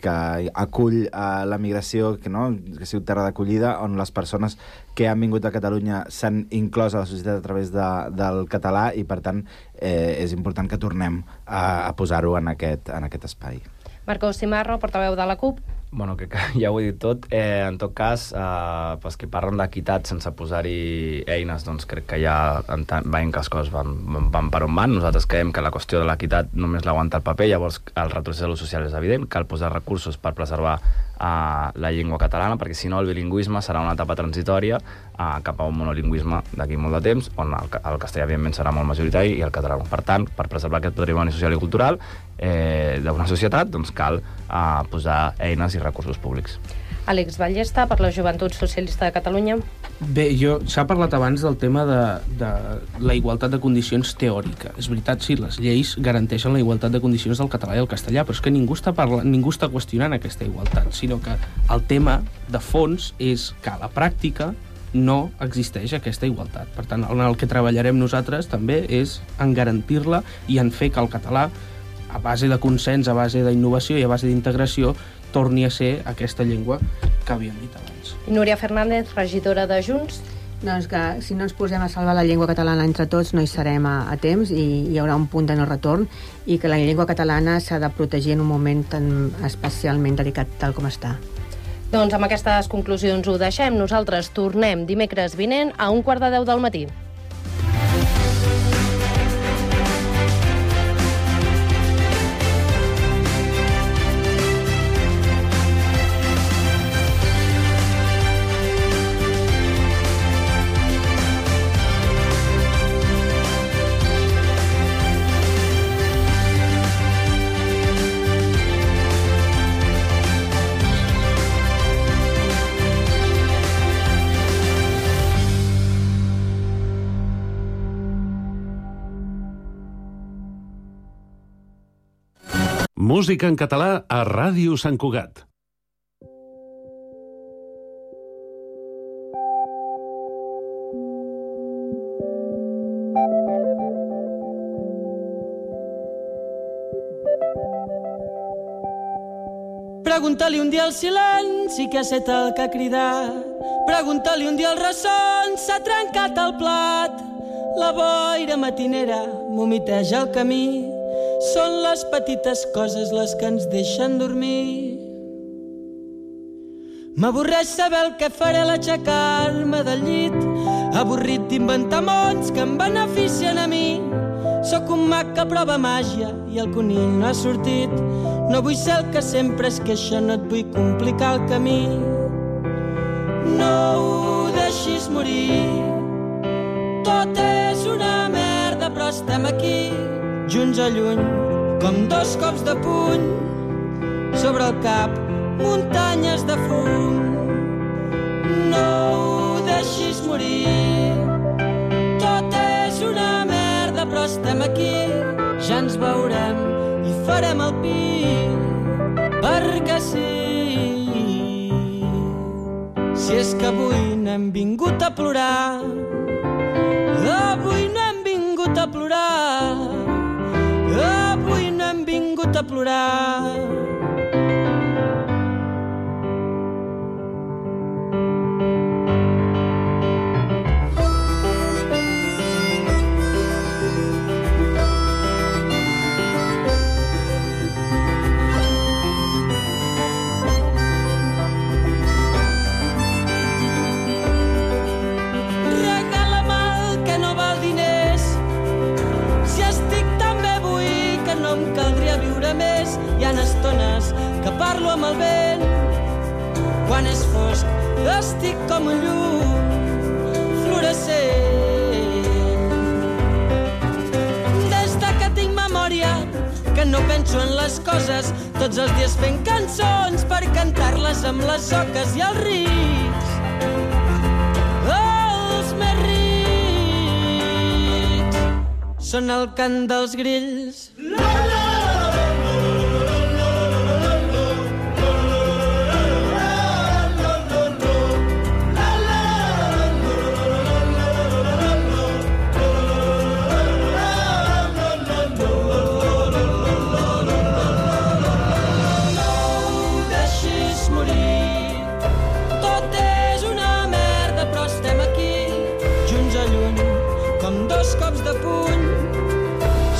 que acull a la migració, que, no? que sigui terra d'acollida, on les persones que han vingut a Catalunya s'han inclòs a la societat a través de, del català, i per tant eh, és important que tornem a, a posar-ho en, aquest, en aquest espai. Marcos Cimarro, portaveu de la CUP. Bueno, crec que ja ho he dit tot. Eh, en tot cas, eh, pels que parlen d'equitat sense posar-hi eines, doncs crec que ja veiem que les coses van, van per on van. Nosaltres creiem que la qüestió de l'equitat només l'aguanta el paper, llavors el retrocés de l'ús social és evident, cal posar recursos per preservar eh, la llengua catalana, perquè si no el bilingüisme serà una etapa transitòria eh, cap a un monolingüisme d'aquí molt de temps, on el, el castellà evidentment serà molt majoritari i el català. Per tant, per preservar aquest patrimoni social i cultural eh, d'una societat, doncs cal eh, posar eines i recursos públics. Àlex Ballesta, per la Joventut Socialista de Catalunya. Bé, jo s'ha parlat abans del tema de, de la igualtat de condicions teòrica. És veritat, sí, les lleis garanteixen la igualtat de condicions del català i el castellà, però és que ningú està, parlant, ningú està qüestionant aquesta igualtat, sinó que el tema de fons és que a la pràctica no existeix aquesta igualtat. Per tant, en el que treballarem nosaltres també és en garantir-la i en fer que el català, a base de consens, a base d'innovació i a base d'integració, torni a ser aquesta llengua que havíem dit abans. I Núria Fernández, regidora de Junts. Doncs que si no ens posem a salvar la llengua catalana entre tots no hi serem a, a temps i hi haurà un punt de no retorn, i que la llengua catalana s'ha de protegir en un moment tan especialment delicat tal com està. Doncs amb aquestes conclusions ho deixem. Nosaltres tornem dimecres vinent a un quart de deu del matí. Música en català a Ràdio Sant Cugat. Pregunta-li un dia al silenci que ha set el que ha cridat. Pregunta-li un dia al ressons, s'ha trencat el plat. La boira matinera vomiteja el camí. Són les petites coses les que ens deixen dormir. M'avorreix saber el que faré a l'aixecar-me del llit. Avorrit d'inventar mons que em beneficien a mi. Sóc un mag que prova màgia i el conill no ha sortit. No vull ser el que sempre es queixa, no et vull complicar el camí. No ho deixis morir. Tot és una merda, però estem aquí, junts o lluny, com dos cops de puny. Sobre el cap, muntanyes de fum. No ho deixis morir. Tot és una merda, però estem aquí, ja ens veurem i farem el pi, perquè sí. Si és que avui no hem vingut a plorar, avui no hem vingut a plorar, avui no hem vingut a plorar. Hi ha estones que parlo amb el vent. Quan és fosc estic com un llum fluorescent. Des de que tinc memòria que no penso en les coses, tots els dies fent cançons per cantar-les amb les oques i els rics. Els més rics són el cant dels grills.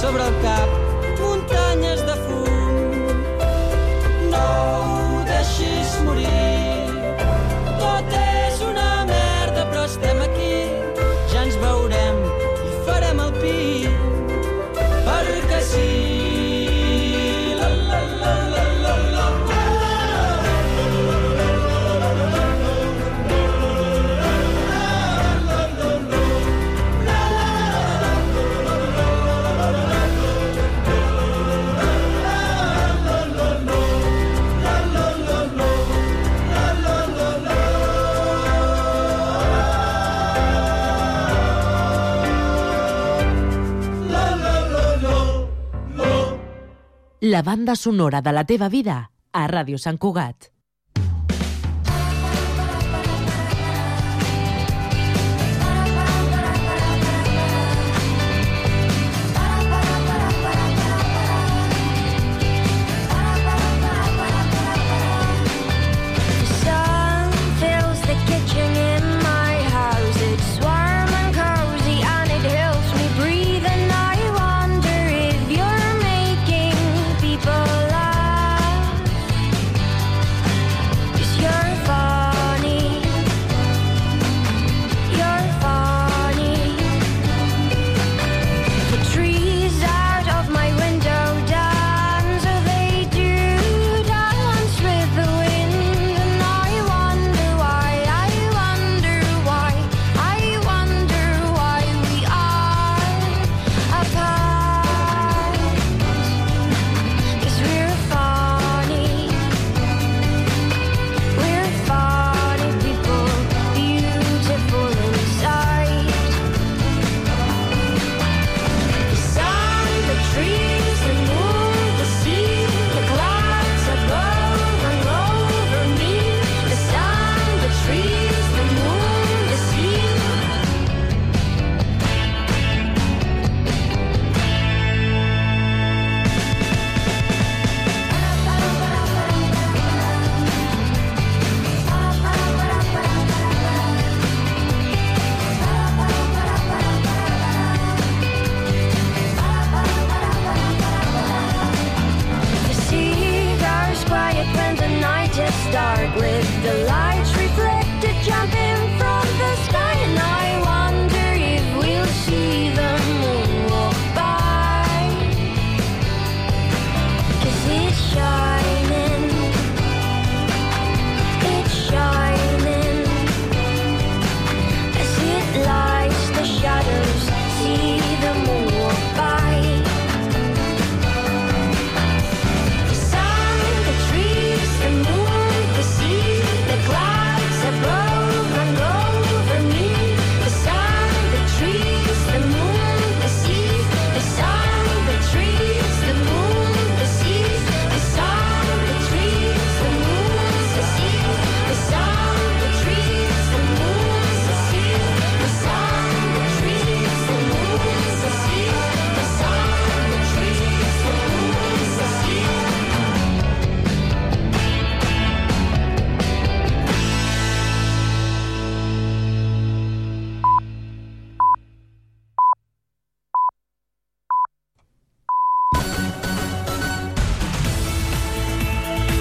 Sobre el cap, muntanyes de fum. No ho deixis morir. Tot és una merda, però estem aquí, ja ens veurem i farem el pi, perquè sí. La, la, la, la, la, la. La banda sonora de la teva vida a Ràdio Sant Cugat. park with the lights reflected jumping from the sky, and I wonder if we'll see the moon walk by, 'cause it's sharp.